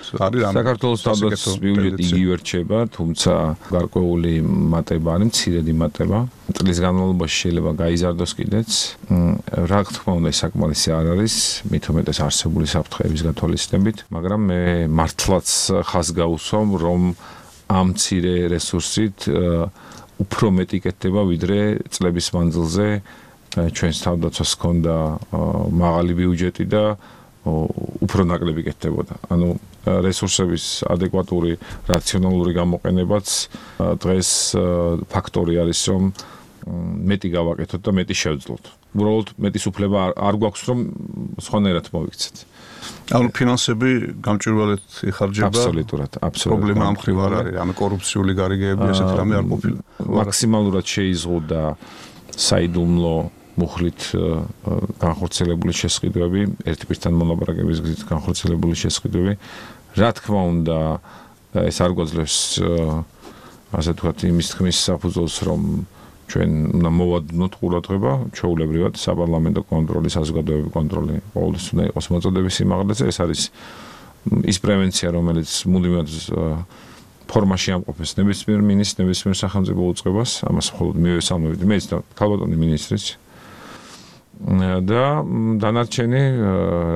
საქართველოს თავდაცვის ბიუჯეტი იგივე რჩება, თუმცა გარკვეული მატება არის, მცირედი მატება. წლის განმავლობაში შეიძლება გაიზარდოს კიდეც. რა თქმა უნდა, საკმარისი არ არის, მით უმეტეს არსებული საფრთხეების გათვალისწინებით, მაგრამ მე მართლაც ხაზს გავუსვამ, რომ ამ მცირე რესურსით უფრო მეტი კეთდება, ვიდრე წლების მანძილზე ჩვენს თავდაცვას ჰქონდა მაღალი ბიუჯეტი და უფრო ნაკლები კეთდებოდა. ანუ რესურსების ადეკვატური რაციონალური გამოყენებაც დღეს ფაქტორი არის, რომ მეტი გავაკეთოთ და მეტი შევძლოთ. უბრალოდ მეტის უფლება არ გვაქვს, რომ სხვანაირად მოვიქცეთ. ანუ ფინანსები გამჭვირვალედ იხარჯება. აბსოლუტურად. პრობლემა ამ მხრივ არ არის, ანუ კორუფციული გარიგეები ესეთ რამე არ ყოფილა. მაქსიმალურად შეიზღუდა საიდუმლო მუხლით განხორციელებული შესყიდვები, ერთი პირთან მოლაპარაკების გზით განხორციელებული შესყიდვები. რა თქმა უნდა, ეს არ გვაძლევს ასე ვთქვათ, იმის თქმის საფუძველს, რომ ჩვენ უნდა მოვადნოთ ყურადღება, ჩვეულებრივად საპარლამენტო კონტროლი, საზოგადოებრივი კონტროლი ყოველთვის უნდა იყოს მოწოდების სიმაღლეზე. ეს არის ის პრევენცია, რომელიც მუდმივად ფორმაში ამყოფებს ნებისმიერ მინისტრს, ნებისმიერ სახელმწიფო უწყებას, ამას მხოლოდ მივესალმებით მეც და ქალბატონი მინისტრიც. და დანარჩენი,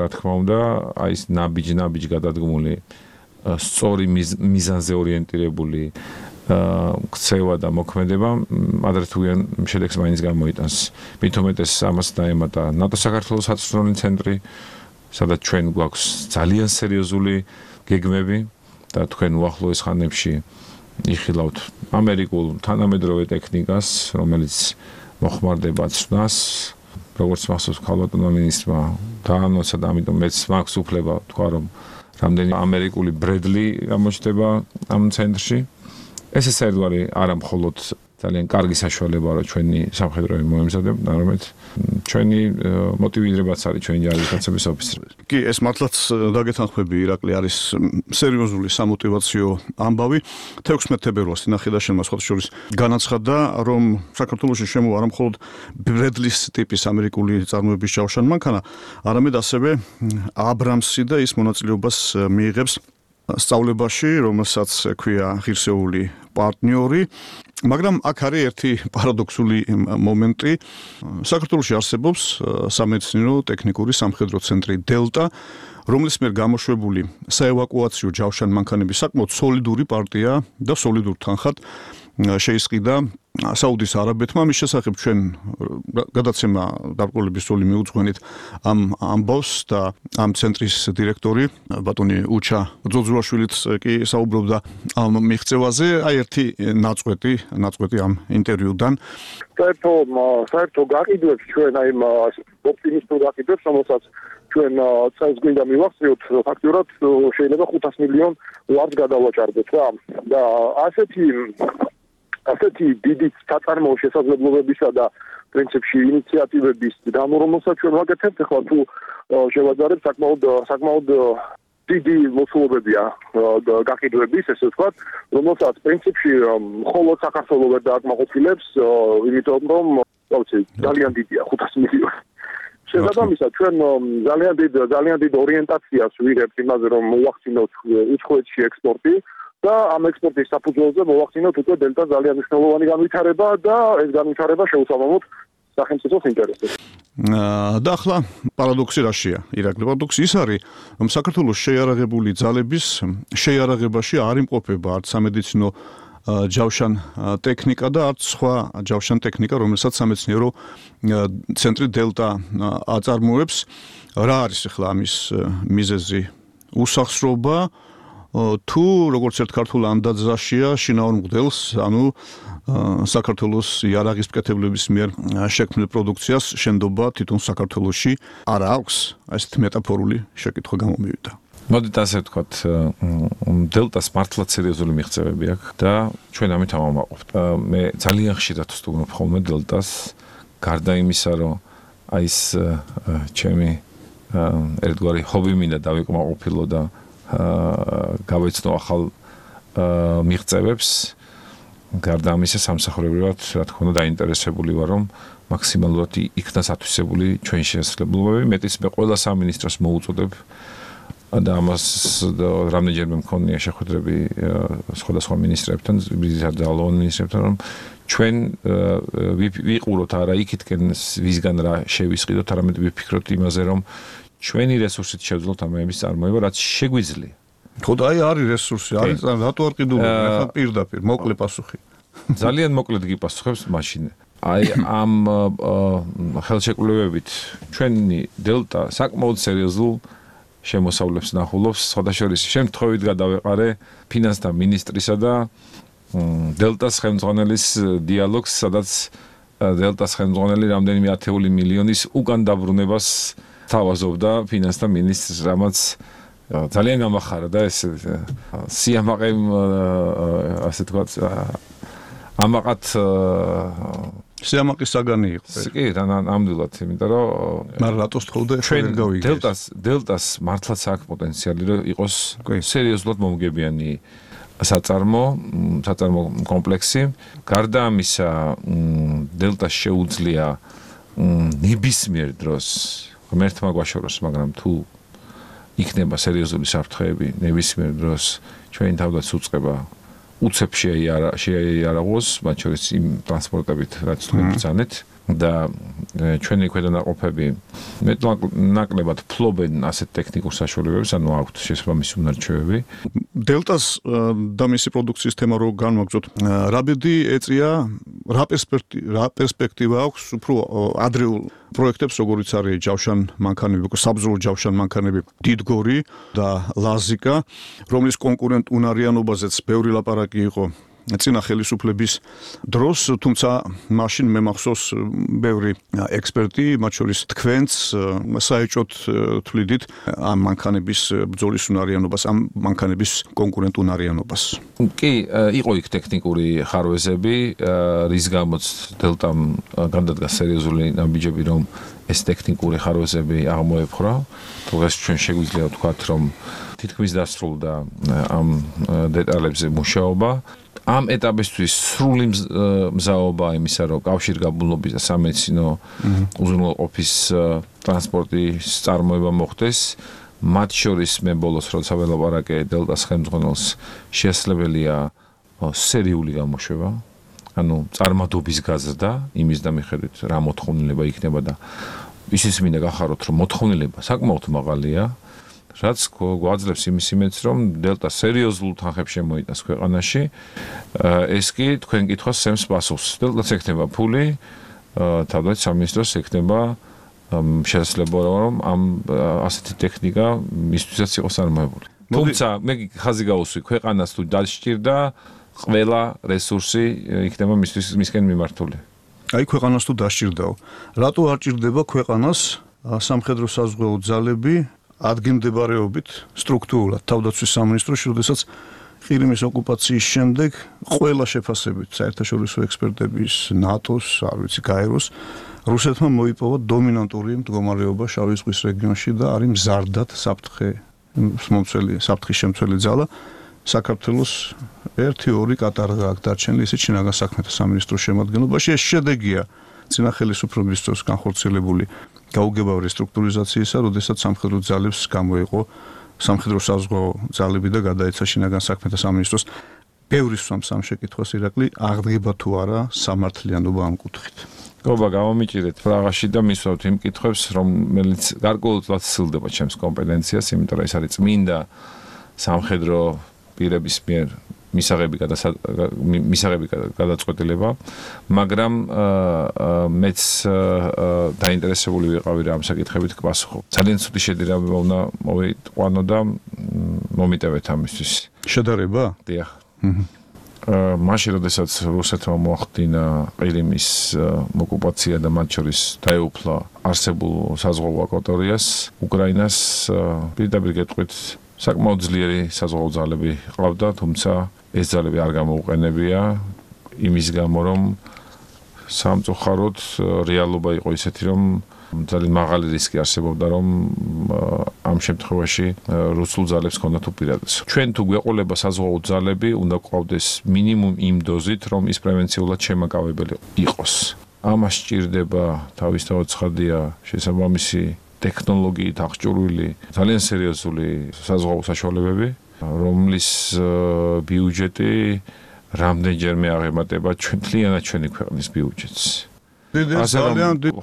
რა თქმა უნდა, აი ეს ნაბიჯ გადადგმული, სწორი მიზანზე ორიენტირებული ქცევა და მოქმედება ადრეთუიან შედეგს მაინც გამოიტანს. მით უმეტეს ამას დაემატა ნატო საქართველოს საწვრთნელი ცენტრი, სადაც ჩვენ გვაქვს ძალიან სერიოზული გეგმები და თქვენ უახლოეს ხანებში იხილავთ ამერიკულ თანამედროვე ტექნიკას, რომელიც მოხმარდება ცნას, როგორც მახსოვს ქალბატონმა მინისტრმა დაანონსა და ამიტომ მეც მაქვს უფლება თქვა, რომ რამდენი ამერიკული ბრედლი გამოჩნდება ამ ცენტრში. ეს საერთოდ არა მხოლოდ ძალიან კარგი საშუალება რომ ჩვენი სამხედროები მოემზადებოდნენ, არამედ ჩვენი მოტივირებაც არის ჩვენი ჯარისკაცების ოფიცრები. კი, ეს მართლაც დაგეთანხმები, ირაკლი, არის სერიოზული სამოტივაციო ამბავი. 16 თებერვალს ინახილაშენმა სხვა შორის განაცხადა, რომ საქართველოში შემოვა არა მხოლოდ ბრედლის ტიპის ამერიკული წარმოების ჯავშანი მანქანა, არამედ ასევე აბრამსი და ის მონაწილეობას მიიღებს სწავლებაში, რომელსაც ქვია ღირსეული პარტნიორი. მაგრამ აქ არის ერთი პარადოქსული მომენტი. საქართველოში არსებობს სამეცნიერო ტექნიკური სამხედრო ცენტრი დელტა, რომლის მიერ გამოშვებული საევაკუაციო ჯავშანი მანქანების საკმაოდ სოლიდური პარტია და სოლიდურ თანხად შეისყიდა საუდის არაბეთმა. მის შესახებ ჩვენ გადაცემა დარკვევების სული მიუძღვენით ამ ამბავს და ამ ცენტრის დირექტორი ბატონი უჩა ძოძულაშვილიც კი საუბრობდა ამ მიღწევაზე. აი ერთი ნაწყვეტი ამ ინტერვიუდან. საერთო გაყიდვებს ჩვენ აი ოპტიმისტურ გაყიდვებს, რომელსაც ჩვენ წელს გვინდა მივახციოთ, ფაქტურად შეიძლება 500 მილიონ ლარს გადავაჭარბოთ რა. და ასეთი დიდი საწარმოო შესაძლებლობებისა და პრინციპში ინიციატივების გამორომოსაც ჩვენ ვაკეთებთ, ახლა თუ შევაძარებთ საკმაოდ დიდი მოცულობებია გაყიდვების, ესე ვთქვათ, რომელსაც პრინციპში მხოლოდ საქართველოს ვერ დააკმაყოფილებს, იმიტომ რომ ძალიან დიდია 500 მილიონი. შესაბამისად, ჩვენ ძალიან დიდ ორიენტაციას ვიღებთ იმაზე, რომ მოვახდინოთ უცხოეთში ექსპორტი და ამ ექსპორტის საფუძველზე მოვახდინოთ უკვე დელტა ძალიან მნიშვნელოვანი განვითარება და ეს განვითარება შეუსაბამოთ სახელმწიფოს ინტერესებს. და ახლა პარადოქსი რაშია? ირაკლი, პარადოქსი ის არის, რომ საქართველოს შეიარაღებული ძალების შეიარაღებაში არ იმყოფება არც სამედიცინო ჯავშან ტექნიკა და არც სხვა ჯავშან ტექნიკა, რომელსაც სამეცნიერო ცენტრი დელტა აწარმოებს. რა არის ახლა ამის მიზეზი? უსახსრობა თუ როგორც ერთ ქართულ ანდაძაშია შინაურ მღვდელს, ანუ საქართველოს იარაღის მკეთებლების მიერ შექმნილ პროდუქციას შენდობა თვითონ საქართველოში არ აქვს? ესეთი მეტაფორული შეკითხვა გამომივიდა. მოდით ასე ვთქვათ, დელტას მართლაც სერიოზული მიღწევები აქვს და ჩვენ ამით ამაყობთ. მე ძალიან ხშირად ვსტუმრობ ხოლმე დელტას, გარდა იმისა, რომ აი ეს ჩემი ერთგვარი ჰობი მინდა დავიკმაყოფილო და გავეცნო ახალ მიღწევებს. გარდა ამისა სამსახურებრივად, რა თქმა უნდა, დაინტერესებული ვარ, რომ მაქსიმალურად იქნას ათვისებული ჩვენი შესაძლებლობები. მეტიც მე ყველა სამინისტროს მოუწოდებ და ამას რამდენჯერმე მქონია შეხვედრები სხვადასხვა მინისტრებთან, ძალოვან მინისტრებთან, რომ ჩვენ ვიყუროთ არა იქითკენ ვისგან რა შევისყიდოთ, არამედ ვიფიქროთ იმაზე, რომ ჩვენი რესურსით შევძლოთ ამების წარმოება, რაც შეგვიძლია. ხო და აი არის რესურსი, არის რატო არ ყიდულობ? ახლა პირდაპირ მოკლე პასუხი. ძალიან მოკლედ გიპასუხებს მაშინ. აი ამ ხელშეკრულებებით ჩვენი დელტა საკმაოდ სერიოზულ შემოსავლებს ნახულობს, სხვადასხვა შემთხვევით გადავეყარე ფინანსთა მინისტრისა და დელტას ხელმძღვანელის დიალოგს, სადაც დელტას ხელმძღვანელი რამდენიმე ათეული მილიონის უკან დაბრუნებას თავაზობდა ფინანსთა მინისტრს, რამაც ძალიან გამახარა და ეს სიამაყე ასე თქვათ ამაყად სიამაყის საგანი იყო. კი, ნამდვილად, იმიტომ რომ მაგრამ რატო სწხოვდა ჩვენ გავიგეს. დელტას მართლაც აქვს პოტენციალი, რომ იყოს სერიოზულად მომგებიანი საწარმო კომპლექსი. გარდა ამისა, დელტას შეუძლია ნებისმიერ დროს ღმერთმა გვაშოროს, მაგრამ თუ იქნება სერიოზული საფრთხეები, ნებისმიერ დროს ჩვენი თავდაც უწყება უცებ შეიარაღოს, მათ შორის იმ ტრანსპორტებით, რაც თქვენ ბრძანეთ და ჩვენი ქვედანაყოფები მეტნაკლებად ფლობენ ასეთ ტექნიკურ საშუალებებს, ანუ აქვთ შესაბამისი უნარჩვევები. დელტას და მისი პროდუქციის თემა რო განვაგრძოთ, რა ბედი ეწია, რა პერსპექტივა აქვს უფრო ადრეულ პროექტებს, როგორიც არის ჯავშან მანქანები, საბრძოლო ჯავშან მანქანები დიდგორი და ლაზიკა, რომლის კონკურენტ უნარიანობაზეც ბევრი ლაპარაკი იყო წინა ხელისუფლების დროს, თუმცა მაშინ მე მახსოვს ბევრი ექსპერტი, მათ შორის თქვენც საეჭვოდ თვლიდით ამ მანქანების ბრძოლის უნარიანობას, ამ მანქანების კონკურენტუნარიანობას. კი, იყო იქ ტექნიკური ხარვეზები, რის გამოც დელტამ გადადგა სერიოზული ნაბიჯები, რომ ეს ტექნიკური ხარვეზები აღმოეფხვრა. დღეს ჩვენ შეგვიძლია ვთქვათ, რომ თითქმის დასრულდა ამ დეტალებზე მუშაობა. ამ ეტაპისთვის სრული მზაობა იმისა, რომ კავშირგაბმულობის და სამედიცინო უზრუნველყოფის ტრანსპორტის წარმოება მოხდეს. მათ შორის მე ბოლოს როცა ველაპარაკე დელტას ხელმძღვანელს, შესაძლებელია სერიული გამოშვება. ანუ წარმადობის გაზრდა იმის და მიხედვით რა მოთხოვნილება იქნება და ისიც მინდა გახაროთ, რომ მოთხოვნილება საკმაოდ მაღალია, რაც გვაძლევს იმის იმედს, რომ დელტა სერიოზულ თანხებს შემოიტანს ქვეყანაში. ეს კი თქვენ კითხვას სემს პასუხს. დელტაც ექნება ფული, თავდაცვის სამინისტროს ექნება შესაძლებლობა, რომ ამ ასეთი ტექნიკა მისთვისაც იყოს წარმოებული. თუმცა მე ხაზი გავუსვი, ქვეყანას თუ დასჭირდა ყველა რესურსი იქნება მისკენ მიმართული. აი ქვეყანას თუ დასჭირდაო. რატო არ ჭირდება ქვეყანას სამხედრო საზღვაო ძალები ადგილმდებარეობით სტრუქტურულად თავდაცვის სამინისტროში, როდესაც ყირიმის ოკუპაციის შემდეგ ყველა შეფასებით საერთაშორისო ექსპერტების, ნატოს, არ ვიცი, გაეროს რუსეთმა მოიპოვა დომინანტური მდგომარეობა შავი ზღვის რეგიონში და არის მზარდად საფრთხის შემცველი ძალა. საქართველოს 1-2 კატარღა აქ დარჩენილი, ისიც შინაგან საქმეთა სამინისტროს შემადგენლობაში. ეს შედეგია წინა ხელისუფლების დროს განხორციელებული გაუგებარი რესტრუქტურიზაციისა, როდესაც სამხედრო ძალებს გამოიყო სამხედრო საზღვაო ძალები და გადაეცა შინაგან საქმეთა სამინისტროს. ბევრი სვამს ამ შეკითხვას ირაკლი, აღდგება თუ არა სამართლიანობა ამ კუთხით. გობა გამომიჭირეთ პრაღაში და მისვავთ იმ კითხვებს, რომელიც გარკვეულად სცილდება ჩემს კომპეტენციას, იმიტომ რომ ეს არის წმინდა სამხედრო პირების მიერ მისაღები გადაწყვეტილება, მაგრამ მეც დაინტერესებული ვიყავი რა ამ საკითხებით გპასუხობ. ძალიან ცუდი შედარება უნდა მოვიყვანო და მომიტევეთ ამისთვის. შედარება? დიახ. მაშინ როდესაც რუსეთმა მოახდინა ყირიმის ოკუპაცია და მათ შორის დაეუფლა არსებულ საზღვაო აკვატორიას, უკრაინას პირდაპირ გეტყვით საკმაოდ ძლიერი საზღვაო ძალები ყავდა, თუმცა ეს ძალები არ გამოუყენებია იმის გამო, რომ სამწუხაროდ რეალობა იყო ისეთი, რომ ძალიან მაღალი რისკი არსებობდა, რომ ამ შემთხვევაში რუსულ ძალებს ჰქონდათ უპირატესობა. ჩვენ თუ გვეყოლება საზღვაო ძალები, უნდა გვყავდეს მინიმუმ იმ დოზით, რომ ის პრევენციულად შემაკავებელი იყოს. ამას სჭირდება თავისთავად ცხადია შესაბამისი ტექნოლოგიით აღჭურვილი ძალიან სერიოზული საზღვაო საშუალებები, რომლის ბიუჯეტი რამდენჯერმე აღემატება მთლიანად ჩვენი ქვეყნის ბიუჯეტს.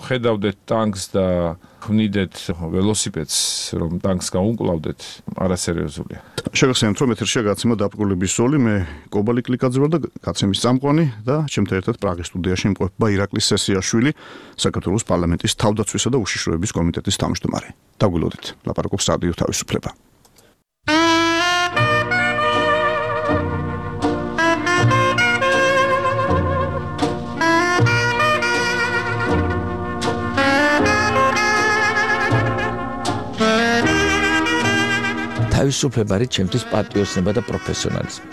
ხედავდეთ ტანკს და ვნიდეთ ველოსიპედს, რომ ტანკს გაუმკლავდეთ, არასერიოზულია. შეგახსენებთ, რომ ეთერშია გაცემა დაბრკოლების ზოლი, მე კობალი კლიკაძე ვარ და გაცემის წამყვანი და ჩემთან ერთად პრაღის სტუდიაში იმყოფება ირაკლი სესიაშვილი, საქართველოს პარლამენტის თავდაცვისა და უშიშროების კომიტეტის თავმჯდომარე. დაგვილოდეთ, ლაპარაკობს რადიო თავისუფლება. თავისუფლება არის ჩემთვის პატრიოტიზმი და პროფესიონალიზმი.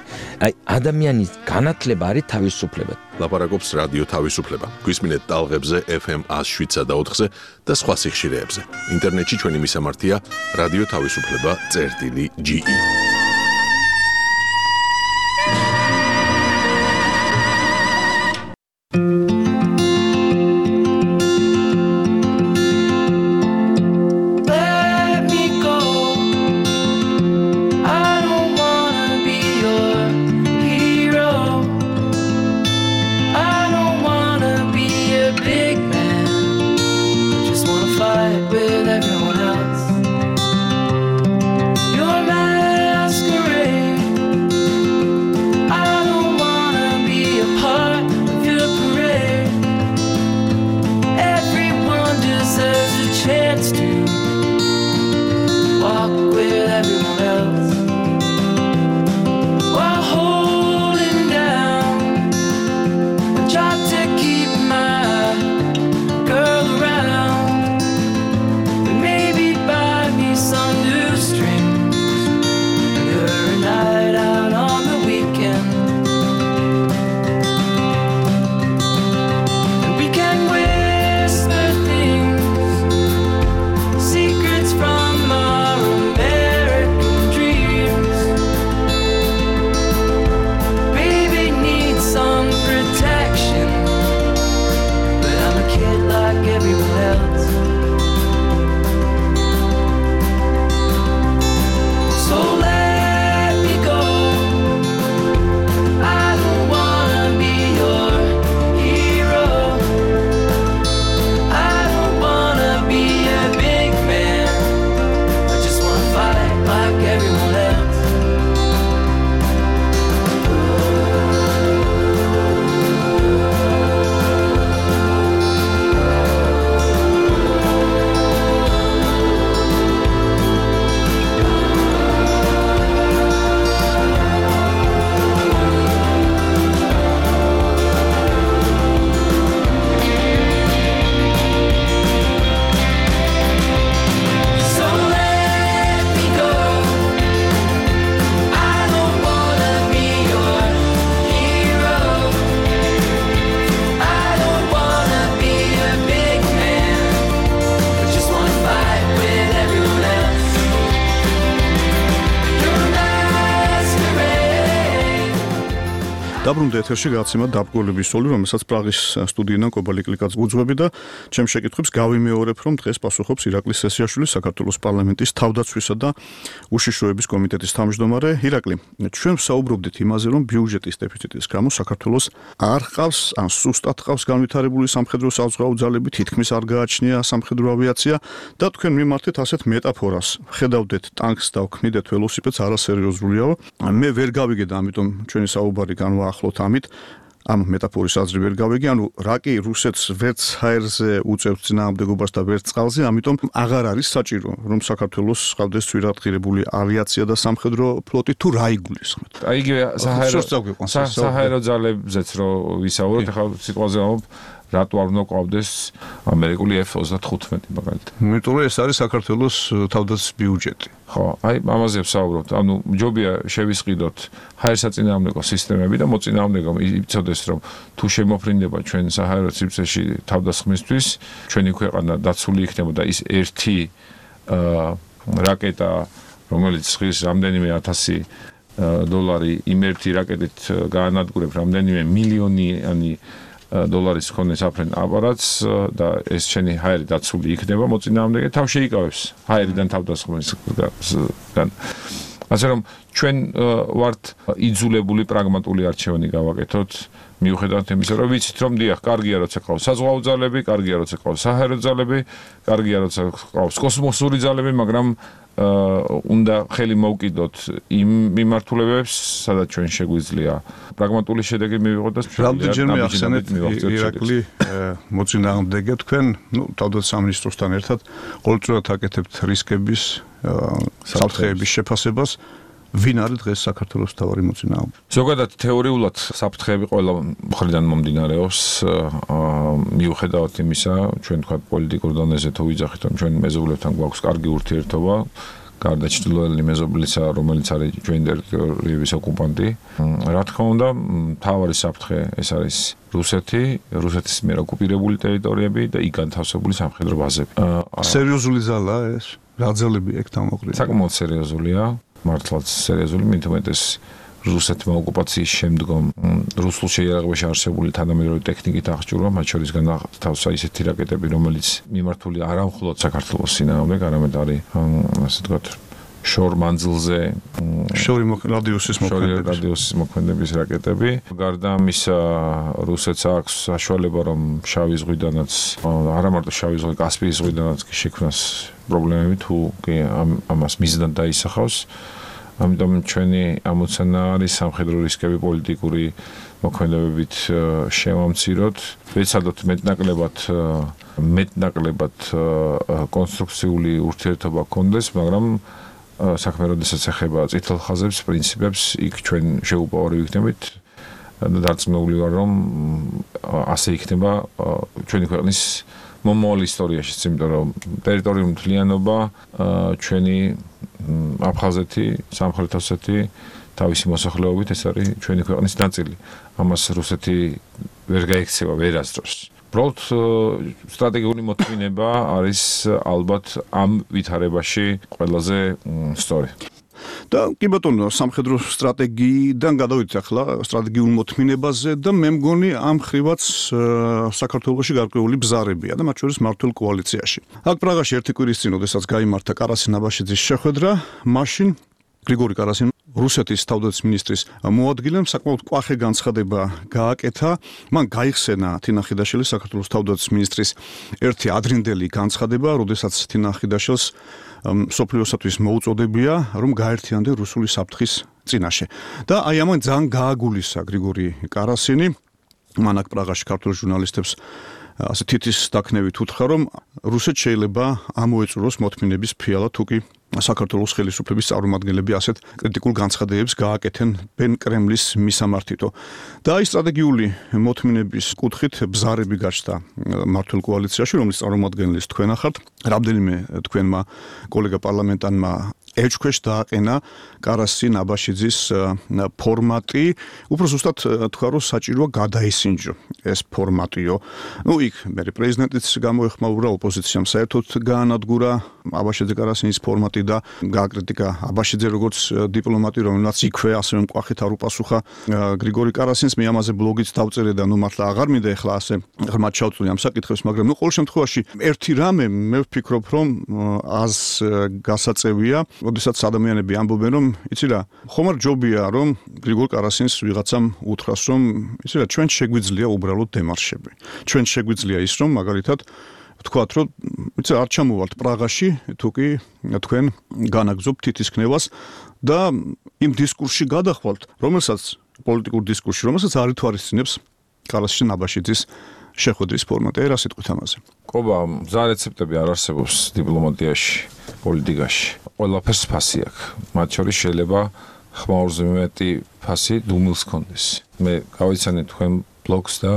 აი ადამიანის განათლება არის თავისუფლება. ლაპარაკობს რადიო თავისუფლება. გვისმინეთ ტალღებზე FM 107 და 4-ზე და სხვა სიხშირეებზე. ინტერნეტში ჩვენი მისამართია რადიო თავისუფლება.ge. Everyone else while holding down დაბრუნდა ეთერში გაცემა დაბგოლების სოლი, რომელსაც პრაღის სტუდიიდან კობალიკლიკაც უძღვები და ჩემს შეკითხვებს გავიმეორებ, რომ დღეს პასუხობს ირაკლი სესიაშვილი, საქართველოს პარლამენტის თავდაცვისა და უშიშროების კომიტეტის თავმჯდომარე. ირაკლი, ჩვენ ვსაუბრობდით იმაზე, რომ ბიუჯეტის დეფიციტის გამო საქართველოს არ ჰყავს ან სუსტად ჰყავს განვითარებული სამხედრო საზღვაო ძალები, თითქმის არ გააჩნია სამხედრო ავიაცია და თქვენ მიმართეთ ასეთ მეტაფორას. ხედავდეთ ტანკს და ვქმნიდეთ ველოსიპედს, არასერიოზულიაო. მე ვერ გავიგე და ამიტომ ჩვენი საუბარი განვაახლოთ ამით. ამ მეტაფორის აზრი ვერ გავიგე, ანუ რაკი რუსეთს ვერც ჰაერზე უწევს წინააღმდეგობას და ვერც წყალზე, ამიტომ აღარ არის საჭირო, რომ საქართველოს ჰყავდეს ძვირადღირებული ავიაცია და სამხედრო ფლოტი თუ რა იგულისხმეთ. აი იგივე საჰაერო ძალებზეც რო ვისაუბროთ, ახლა სიტყვაზე ვამბობ, რატო არ უნდა ყავდეს ამერიკული F-35 მაგალითად. იმიტომ რომ ეს არის საქართველოს თავდაცვის ბიუჯეტი. ხო, აი ამაზე ვსაუბრობთ. ანუ ჯობია შევისყიდოთ ჰაერსაწინააღმდეგო სისტემები და მოწინააღმდეგო იცოდეს, რომ თუ შემოფრინდება ჩვენ საჰაერო სივრცეში თავდასხმისთვის, ჩვენი ქვეყანა დაცული იქნება და ის ერთი რაკეტა, რომელიც ხის რამდენიმე 1000 დოლარი იმ ერთი რაკეტით გაანადგურებს რამდენიმე მილიონიანი დოლარის მქონე საფრენ აპარატს და ეს შენი ჰაერი დაცული იქნება მოწინააღმდეგე თავ შეიკავებს ჰაერიდან თავდასხმისგან. ასე რომ ჩვენ ვართ იძულებული პრაგმატული არჩევანი გავაკეთოთ მიუხედავად იმისა, რომ ვიცით რომ დიახ, კარგია როცა ყავს საზღვაო ძალები, კარგია როცა ყავს საჰაერო ძალები, კარგია როცა ყავს კოსმოსური ძალები, მაგრამ უნდა ხელი მოვკიდოთ იმ მიმართულებებს, სადაც ჩვენ შეგვიძლია პრაგმატული შედეგი მივიღოთ და რამდენჯერმე ახსენეთ ირაკლი მოწინააღმდეგე თქვენ, თავდაცვის სამინისტროსთან ერთად ყოველწლიურად აკეთებთ რისკების საფრთხეების შეფასებას. ვინ არის დღეს საქართველოს მთავარი მოწინააღმდეგე? ზოგადად თეორიულად საფრთხეები ყველა მხრიდან მომდინარეობს, მიუხედავად იმისა, ჩვენ თქვა პოლიტიკურ დონეზე თუ ვიძახით, რომ ჩვენ მეზობლებთან გვაქვს კარგი ურთიერთობა, გარდა ჩრდილოელი მეზობლისა, რომელიც არის ჩვენი ტერიტორიების ოკუპანტი. რა თქმა უნდა, მთავარი საფრთხე ეს არის რუსეთის მიერ ოკუპირებული ტერიტორიები და იქ განთავსებული სამხედრო ბაზები. სერიოზული ძალაა ეს? რა ძალები ეგ თავმოყრილია? საკმაოდ სერიოზულია. მართლაც სერიოზული, მithumetes რუსეთმა ოკუპაციის შემდგომ რუსულ შეიარაღებაში არსებული თანამედროვე ტექნიკით აღჭურვა, მათ შორის განათავსა ისეთი რაკეტები, რომელიც მიმართული არა მხოლოდ საქართველოს წინააღმდეგ, არამედ არის ასე ვთქვათ, შორ მანძილზე რადიუსის მოქმედების რაკეტები. გარდა ამისა, რუსეთს აქვს საშუალება, რომ შავი ზღვიდანაც, არა მარტო შავი ზღვი, კასპიის ზღვიდანაც შექმნას პრობლემები, თუ ამას მიზნად დაისახავს. ამიტომ ჩვენი ამოცანა არის სამხედრო რისკები პოლიტიკური მოქმედებებით შევამციროთ, ვეცადოთ მეტნაკლებად კონსტრუქციული ურთიერთობა გქონდეს, მაგრამ საქმე როდესაც ეხება წითელ ხაზებს, პრინციპებს, იქ ჩვენ შეუპოვარი ვიქნებით და დარწმუნებული ვარ, რომ ასე იქნება ჩვენი ქვეყნის მომავალ ისტორიაში, იმიტომ რომ ტერიტორიული მთლიანობა ჩვენი აფხაზეთი, სამხრეთ ოსეთი თავისი მოსახლეობით ეს არის ჩვენი ქვეყნის ნაწილი. ამას რუსეთი ვერ გაიქცევა ვერასდროს. უბრალოდ სტრატეგიული მოთმინება არის ალბათ ამ ვითარებაში ყველაზე სწორი. და კი ბატონო, სამხედრო სტრატეგიიდან გადავიდეთ ახლა სტრატეგიულ მოთმინებაზე და მე მგონი ამ ხრივაც საქართველოში გარკვეული ბზარებია და მათ შორის მართულ კოალიციაში. აქ პრაღაში ერთი კვირის წინ, როდესაც გაიმართა კარასინ აბაშიძის შეხვედრა, მაშინ გრიგორი კარასინმა რუსეთის თავდაცვის მინისტრის მოადგილემ საკმაოდ კვახე განცხადება გააკეთა. მან გაიხსენა თინა ხიდაშელის საქართველოს თავდაცვის მინისტრის ერთი ადრინდელი განცხადება, როდესაც თინა ხიდაშელს სოფლიოსათვის მოუწოდებია, რომ გაერთიანდნენ რუსული საფრთხის წინაშე. და აი ამან ძალიან გააგულისა გრიგორი კარასინი, მან აქ პრაღაში ქართულ ჟურნალისტებს ასე თითის დაქნევით უთხრა, რომ რუსეთს შეიძლება ამოეწუროს მოთმინების ფიალა თუ კი საქართველოს ხელისუფლების წარმომადგენლები ასეთ კრიტიკულ განცხადებებს გააკეთენ ბენ კრემლის მისამართითო. და აი სტრატეგიული მოთმინების კუთხით ბზარები გაჩნდა მართულ კოალიციაში, რომლის წარმომადგენლის თქვენ ახართ. რამდენიმე თქვენმა კოლეგა პარლამენტარმა ეჭქვეშ დააყენა კარასი ნაბაშიძის ფორმატი, უფრო ზუსტად თქვა რომ საჭიროა გადაისინჯო ეს ფორმატიო. იქ მე პრეზიდენტიც გამოეხმაურა ოპოზიციამ საერთოდ გაანადგურა აბაშიძე კარასინის ფორმატი და გააკრიტიკა აბაშიძე როგორც დიპლომატი, რომელმაც იქვე ასევე მკვახით არ უპასუხა გრიგორი კარასინს. მე ამაზე ბლოგიც დავწერე და მართლა აღარ მინდა ახლა ასე ღრმად ჩავწვდი ამ საკითხებს, მაგრამ ყოველ შემთხვევაში ერთი რამე მე ვფიქრობ რომ ას გასაწევია, როდესაც ადამიანები ამბობენ რომ იცი რა, ხომ არ ჯობია რომ გრიგორ კარასინს ვიღაცამ უთხრას რომ იცი რა, ჩვენ შეგვიძლია უბრალოდ დემარშები. ჩვენ შეგვიძლია ის რომ მაგალითად ვთქვათ რომ იცი არ ჩამოვალთ პრაღაში, თუკი თქვენ განაგზობთ თითისქნევას და იმ დისკურსში გადახვალთ, რომელსაც პოლიტიკურ დისკურსში, რომელსაც არ ითვალისწინებს კარასში ნაბაშიძის შეხვედრის ფორმატი. რა სიტყვით ამაზე? ყობა, მზა რეცეპტები არ არსებობს დიპლომატიაში, პოლიტიკაში. ყველაფერს ფასი აქვს. მათ შორის შეიძლება ხმაურზე მეტი ფასი დუმილს კონდეს. მე გავიცანე თქვენ ბლოგს და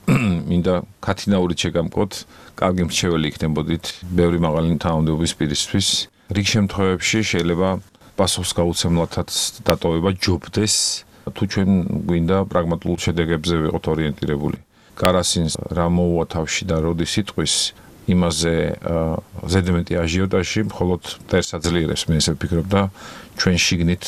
მინდა კათინაურით შეგამკოთ, კარგი მრჩეველი იქნებოდით ბევრი მაღალი თანამდებობის პირისთვის. რიგ შემთხვევებში შეიძლება პასუხს გაუცემლათაც დატოვება ჯობდეს, თუ ჩვენ გვინდა პრაგმატულ შედეგებზე ვიყოთ ორიენტირებული. კარასინს რა მოუვა თავში და როდის იტყვის იმაზე ზედმეტი აჟიოტაჟი მხოლოდ მტერს აძლიერებს, მე ესე ვფიქრობ და ჩვენ შიგნით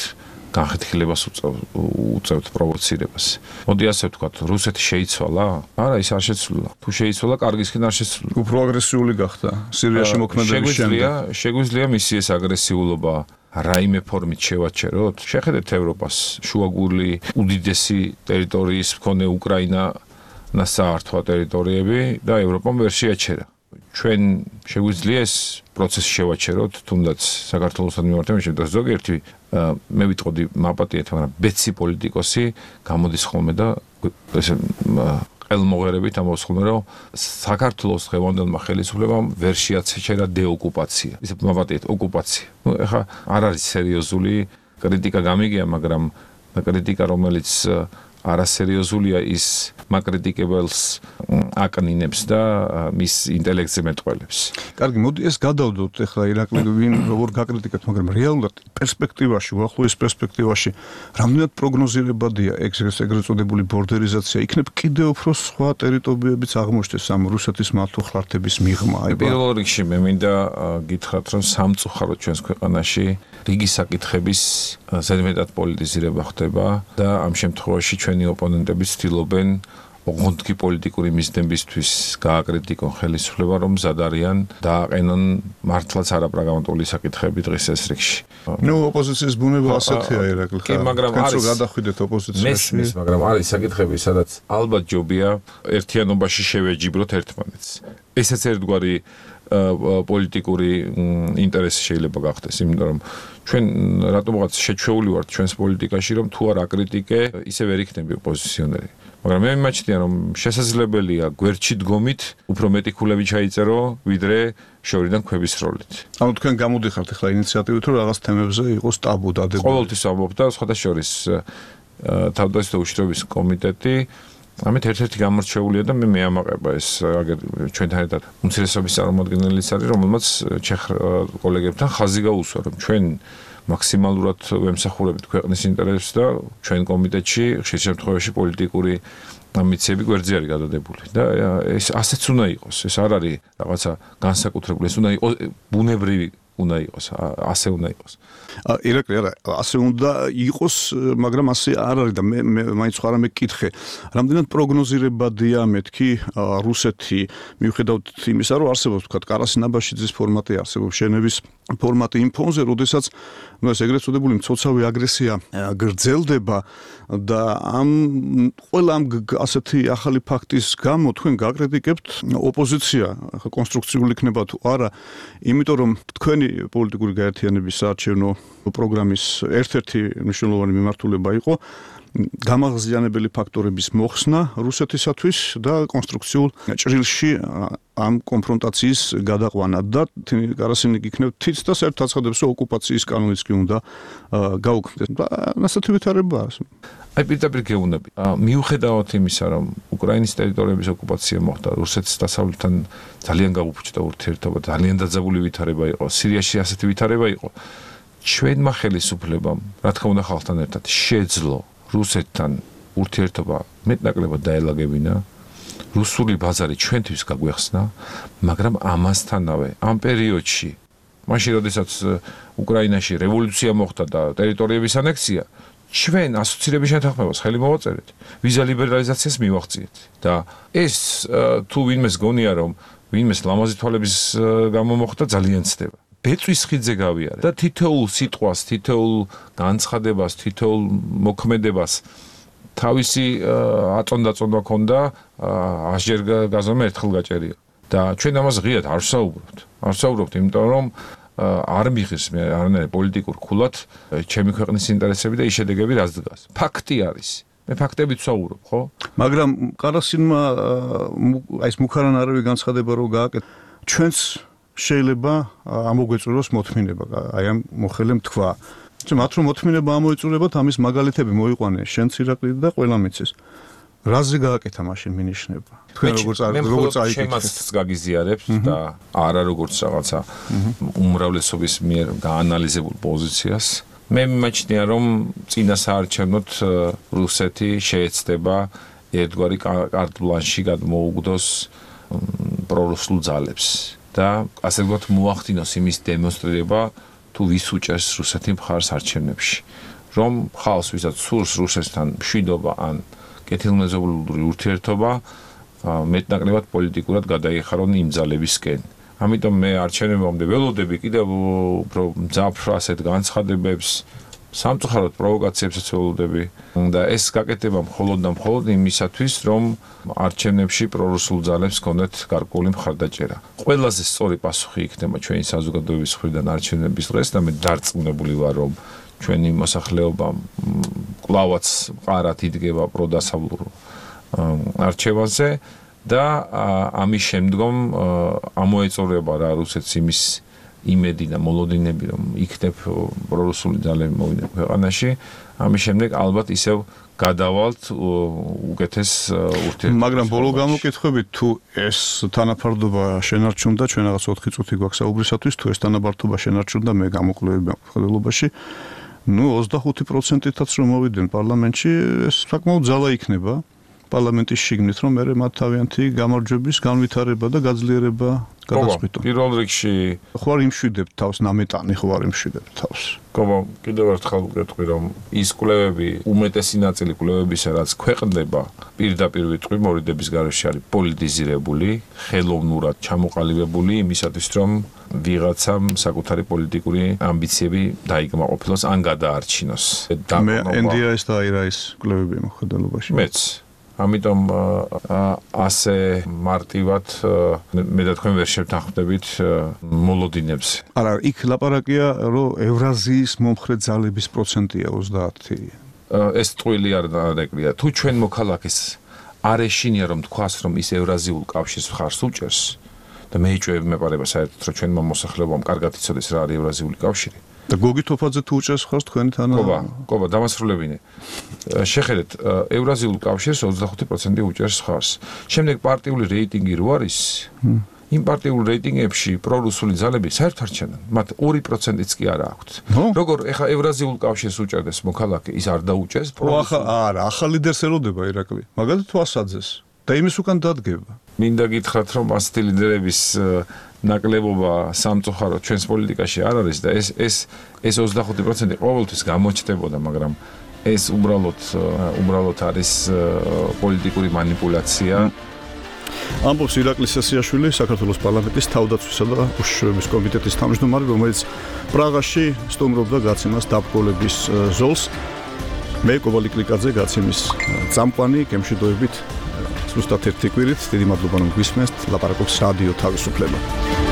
განხეთქილებას უწევთ პროვოცირებას. მოდი ასე ვთქვათ, რუსეთი შეიცვალა? არა, ის არ შეცვლილა. თუ შეიცვალა, კარგისკენ არ შეცვლილა. უფრო აგრესიული გახდა სირიაში მოქმედების შემდეგ. შეგვიძლია მისი ეს აგრესიულობა რაიმე ფორმით შევაჩეროთ? შეხედეთ ევროპას, შუაგული უდიდესი ტერიტორიის მქონე უკრაინა ნასაართვა ტერიტორიები და ევროპამ ვერ შეაჩერა. ჩვენ შეგვიძლია ეს პროცესი შევაჩეროთ, თუნდაც საქართველოსთან მიმართებაში და ზოგიერთი მე ვიტყოდი მაპატიეთ, მაგრამ ბეცი პოლიტიკოსი გამოდის ხოლმე და ესე ყელმოღერებით ამბობს ხოლმე, რომ საქართველოს დღევანდელმა ხელისუფლებამ ვერ შეაჩერა დეოკუპაცია. ისე მაპატიეთ ოკუპაცია. ეხლა არ არის სერიოზული კრიტიკა გამიგია, მაგრამ კრიტიკა რომელიც არასერიოზულია ის მაკრიტიკებელს აკნინებს და მის ინტელექტზე მეტყველებს. კარგი, მოდი ეს გადავდოთ ახლა ირაკლი ვინ როგორ გაკრიტიკებთ, მაგრამ რეალურად პერსპექტივაში, უახლოეს პერსპექტივაში რამდენად პროგნოზირებადია ეგრეთ წოდებული ბორდერიზაცია, იქნებ კიდევ უფრო სხვა ტერიტორიებიც აღმოჩნდეს ამ რუსეთის მართლმხლართების მიღმა. პირველ რიგში მე მინდა გითხრათ, რომ სამწუხაროდ ჩვენს ქვეყანაში რიგი საკითხების ზედმეტად პოლიტიზირება ხდება და ამ შემთხვევაში ჩვენი ოპონენტები ცდილობენ ოღონდ პოლიტიკური მიზნებისთვის გააკრიტიკონ ხელისუფლება, რომ მზად არიან დააყენონ მართლაც არაპრაგმატული საკითხები დღის ეს რიგში. ნუ ოპოზიციის ბუნება ასეთია ირაკლი. კი, მაგრამ არის გადახვიდეთ ოპოზიციაში. მესმის, მაგრამ არის საკითხები, სადაც ალბათ ჯობია ერთიანობაში შევეჯიბროთ ერთმანეთს. ესეც ერთგვარი პოლიტიკური ინტერესი შეიძლება გახდეს, იმიტომ რომ ჩვენ რატომღაც შეჩვეული ვართ ჩვენს პოლიტიკაში, რომ თუ არ აკრიტიკე, ისე ვერ იქნები ოპოზიციონერი. მაგრამ მე მიმაჩნია, რომ შესაძლებელია გვერდში დგომით უფრო მეტი ქულები ჩაიწერო, ვიდრე შორიდან ქვების როლით. ანუ თქვენ გამოდიხართ ახლა ინიციატივით, რომ რაღაც თემებზე იყოს ტაბუ დადებული. ყოველთვის ამბობ და სხვათა შორის თავდაცვითი უშიშროების კომიტეტი ამით ერთ-ერთი გამორჩეულია და მე მეამაყება ეს ჩვენთან ერთად უმცირესობის წარმომადგენელიც არის, რომელმაც ჩეხ კოლეგებთან ხაზი გაუსვა, რომ ჩვენ მაქსიმალურად ვემსახურებით ქვეყნის ინტერესებს და ჩვენ კომიტეტში ხშირ შემთხვევაში პოლიტიკური ამბიციები გვერდზე არის გადადებული და ეს ასეც უნდა იყოს, ეს არ არის რაღაცა განსაკუთრებული, ეს უნდა იყოს ბუნებრივი უნდა იყოს, ასე უნდა იყოს. ირაკლი, არა, ასე უნდა იყოს, მაგრამ ასე არ არის და მე მაინც ხარ მე კითხე. რამდენად პროგნოზირებადია მეთქი რუსეთი, მიუხედავად იმისა, რომ არსებობს თქვა კარასი ნაბაშიძის ფორმატი, არსებობს ჟენევის ფორმატი იმ ფონზე, როდესაც ну ეს ეგრეთ წოდებული მცოცავი აგრესია გრძელდება და ამ ყველა ამ ასეთი ახალი ფაქტის გამო თქვენ გაკრიტიკებთ ოპოზიცია, ახლა კონსტრუქციული იქნება თუ არა, იმიტომ რომ თქვენი პოლიტიკური გაერთიანების საარჩევნო პროგრამის ერთ-ერთი მნიშვნელოვანი მიმართულება იყო გამაღზიანებელი ფაქტორების მოხსნა რუსეთისათვის და კონსტრუქციულ ჭრილში ამ კონფრონტაციის გადაყვანა და კარასინი იქნებ თიც და საერთოდ აცხადებს, რომ ოკუპაციის კანონიც კი უნდა გაუქმდეს. ასეთი ვითარება არის. აი პირდაპირ გეუბნები. მიუხედავად იმისა, რომ უკრაინის ტერიტორიების ოკუპაცია მოხდა, რუსეთის დასავლეთთან ძალიან გაუფუჭდა ურთიერთობა, ძალიან დაძაბული ვითარება იყო. სირიაში ასეთი ვითარება იყო. ჩვენმა ხელისუფლებამ, რა თქმა უნდა, ხალხთან ერთად შეძლო რუსეთთან ურთიერთობა მეტნაკლებად დაელაგებინა. რუსული ბაზარი ჩვენთვის გაგვეხსნა, მაგრამ ამასთანავე ამ პერიოდში, მაშინ როდესაც უკრაინაში რევოლუცია მოხდა და ტერიტორიების ანექსია, ჩვენ ასოცირების შეთანხმებას ხელი მოვაწერეთ, ვიზა ლიბერალიზაციას მივახციეთ და ეს თუ ვინმეს გონია რომ ვინმეს ლამაზი თვალების გამო მოხდა ძალიან ცდება. ბეწვის ხიდზე გავიარე და თითოეულ სიტყვას, თითოეულ განცხადებას, თითოეულ მოქმედებას თავისი აწონდა ქონდა 100 ჯერ გაზომე ერთხელ გაჭერია და ჩვენ ამას ღიად არ ვსაუბრობთ, იმიტომ რომ არ მიხის მე არანაირ პოლიტიკურ ქულად ჩემი ქვეყნის ინტერესები და ის შედეგები რაც დგას. ფაქტი არის. მე ფაქტებით ვსაუბრობ, ხო? მაგრამ ყარასინმა აი ეს მუქარანაირები განცხადება რო გააკეთა, ჩვენც შეიძლება ამოგვეწუროს მოთმინება, აი ამ მოხელემ თქვა. მათ რომ მოთმინება ამოეწურებათ, ამის მაგალითები მოიყვანე შენც ირაკლი და ყველა მიცეს. რაზე გააკეთა მაშინ მინიშნება? თქვენ როგორც აიკეთეთ? შემაც გაგიზიარებთ და არა როგორც რაღაცა უმრავლესობის მიერ გაანალიზებულ პოზიციას. მე მიმაჩნია რომ წინა საარჩევნოდ რუსეთი შეეცდება ერთგვარი კარტ ბლანში გადმოუგდოს პრორუსულ ძალებს და ასე ვთქვათ მოახდინოს იმის დემონსტრირება თუ ვის უჭერს რუსეთი მხარს არჩევნებში რომ ხალხს ვისაც სურს რუსეთთან მშვიდობა ან კეთილმეზობლური ურთიერთობა მეტნაკლებად პოლიტიკურად გადაიხარონ იმ ძალებისკენ. ამიტომ მე არჩევნებამდე ველოდები კიდევ უფრო მძაფრ ასეთ განცხადებებს, სამწუხაროდ პროვოკაციებსაც ველოდები და ეს გაკეთება მხოლოდ იმისათვის, რომ არჩევნებში პრორუსულ ძალებს ჰქონდეთ გარკვეული მხარდაჭერა. ყველაზე სწორი პასუხი იქნება ჩვენი საზოგადოების მხრიდან არჩევნების დღეს და მე დარწმუნებული ვარ, რომ ჩვენი მოსახლეობა კლავაც მყარად იდგება პროდასავლურ არჩევანზე და ამის შემდგომ ამოეწურება რა რუსეთს იმის იმედი და მოლოდინები რომ იქნებ პრორუსული ძალები მოვიდნენ ქვეყანაში, ამის შემდეგ ალბათ ისევ გადავალთ უკეთეს ურთიერთობას. მაგრამ ბოლო გამოკითხვებით თუ ეს თანაფარდობა შენარჩუნდა, ჩვენ რაღაც 4 წუთი გვაქვს საუბრისათვის, თუ ეს თანაფარდობა შენარჩუნდა მე გამოკვლევები მხედველობაში, 25%-ით რომ მოვიდნენ პარლამენტში, ეს საკმაოდ ძალა იქნება პარლამენტის შიგნით, რომ მე მათ თავიანთი გამარჯვების განვითარება და გაძლიერება გადაწყვიტონ. პირველ რიგში ხوار იმშვიდებ თავს ნამეტანი ხوار იმშვიდებ თავს. გობო, კიდევ ერთხელ ვკითხავ, რომ ის კვლევები, უმეტესი ნაწილი კვლევებისა, რაც ქვეყნდება, პირდაპირ ვიტყვი, მორიდების გარეშე არის პოლიტიზირებული, ხელოვნურად ჩამოყალიბებული იმისათვის, რომ ვიღაცამ საკუთარი პოლიტიკური ამბიციები დაიკმაყოფილოს ან გადაარჩინოს. მე NDIS და IRIS კვლევები მოხდელობაში. მეც ამიტომ ასე მარტივად მე და თქვენ ვერ შევთანხმდებით მოლოდინებს. არა, იქ ლაპარაკია, რომ ევრაზიის მომხრე ძალების პროცენტია 30. ეს ტყუილი არ დარეკრია. თუ ჩვენ მოქალაქეს არ ეშინია რომ თქვას, რომ ის ევრაზიულ კავშირს მხარს უჭერს და მე ეჭვები მეპარება საერთოდ, რომ ჩვენმა მოსახლეობამ კარგად იცოდეს რა არის ევრაზიული კავშირი. და გოგი თოფაძე თუ უჭერს ხარს თქვენ თან? ყობა, დამასრულებინე. შეხედეთ, ევრაზიულ კავშირს 25% უჭერს ხარს. შემდეგ პარტიული რეიტინგი რო არის, იმ პარტიულ რეიტინგებში პრორუსული ძალები საერთოდ არ ჩანან. მათ 2%-იც კი არა აქვთ. როგორ ეხა ევრაზიულ კავშირს უჭერდეს მოქალაქე, ის არ დაუჭერს პრორუსულ. არა, ახალ ლიდერს ელოდება ირაკლი. მაგალითად თვალსაძეს და იმის უკან დადგება. მინდა გითხრათ, რომ ასეთი ლიდერების ნაკლებობა სამწუხაროდ ჩვენს პოლიტიკაში არ არის და ეს 25% ყოველთვის გამოჩნდებოდა, მაგრამ ეს უბრალოდ არის პოლიტიკური მანიპულაცია. ამბობს ირაკლი სესიაშვილი, საქართველოს პარლამენტის თავდაცვისა და უშიშროების კომიტეტის თავმჯდომარე, რომელიც პრაღაში სტუმრობდა გაცემას დაბრძოლების ზოლს. მე კობალი კლიკაძე გაცემის წამყვანი გემშვიდობებით. ზუსტად ერთი კვირით, დიდი მადლობა რომ გვისმენთ, ლაპარაკობს რადიო თავისუფლება.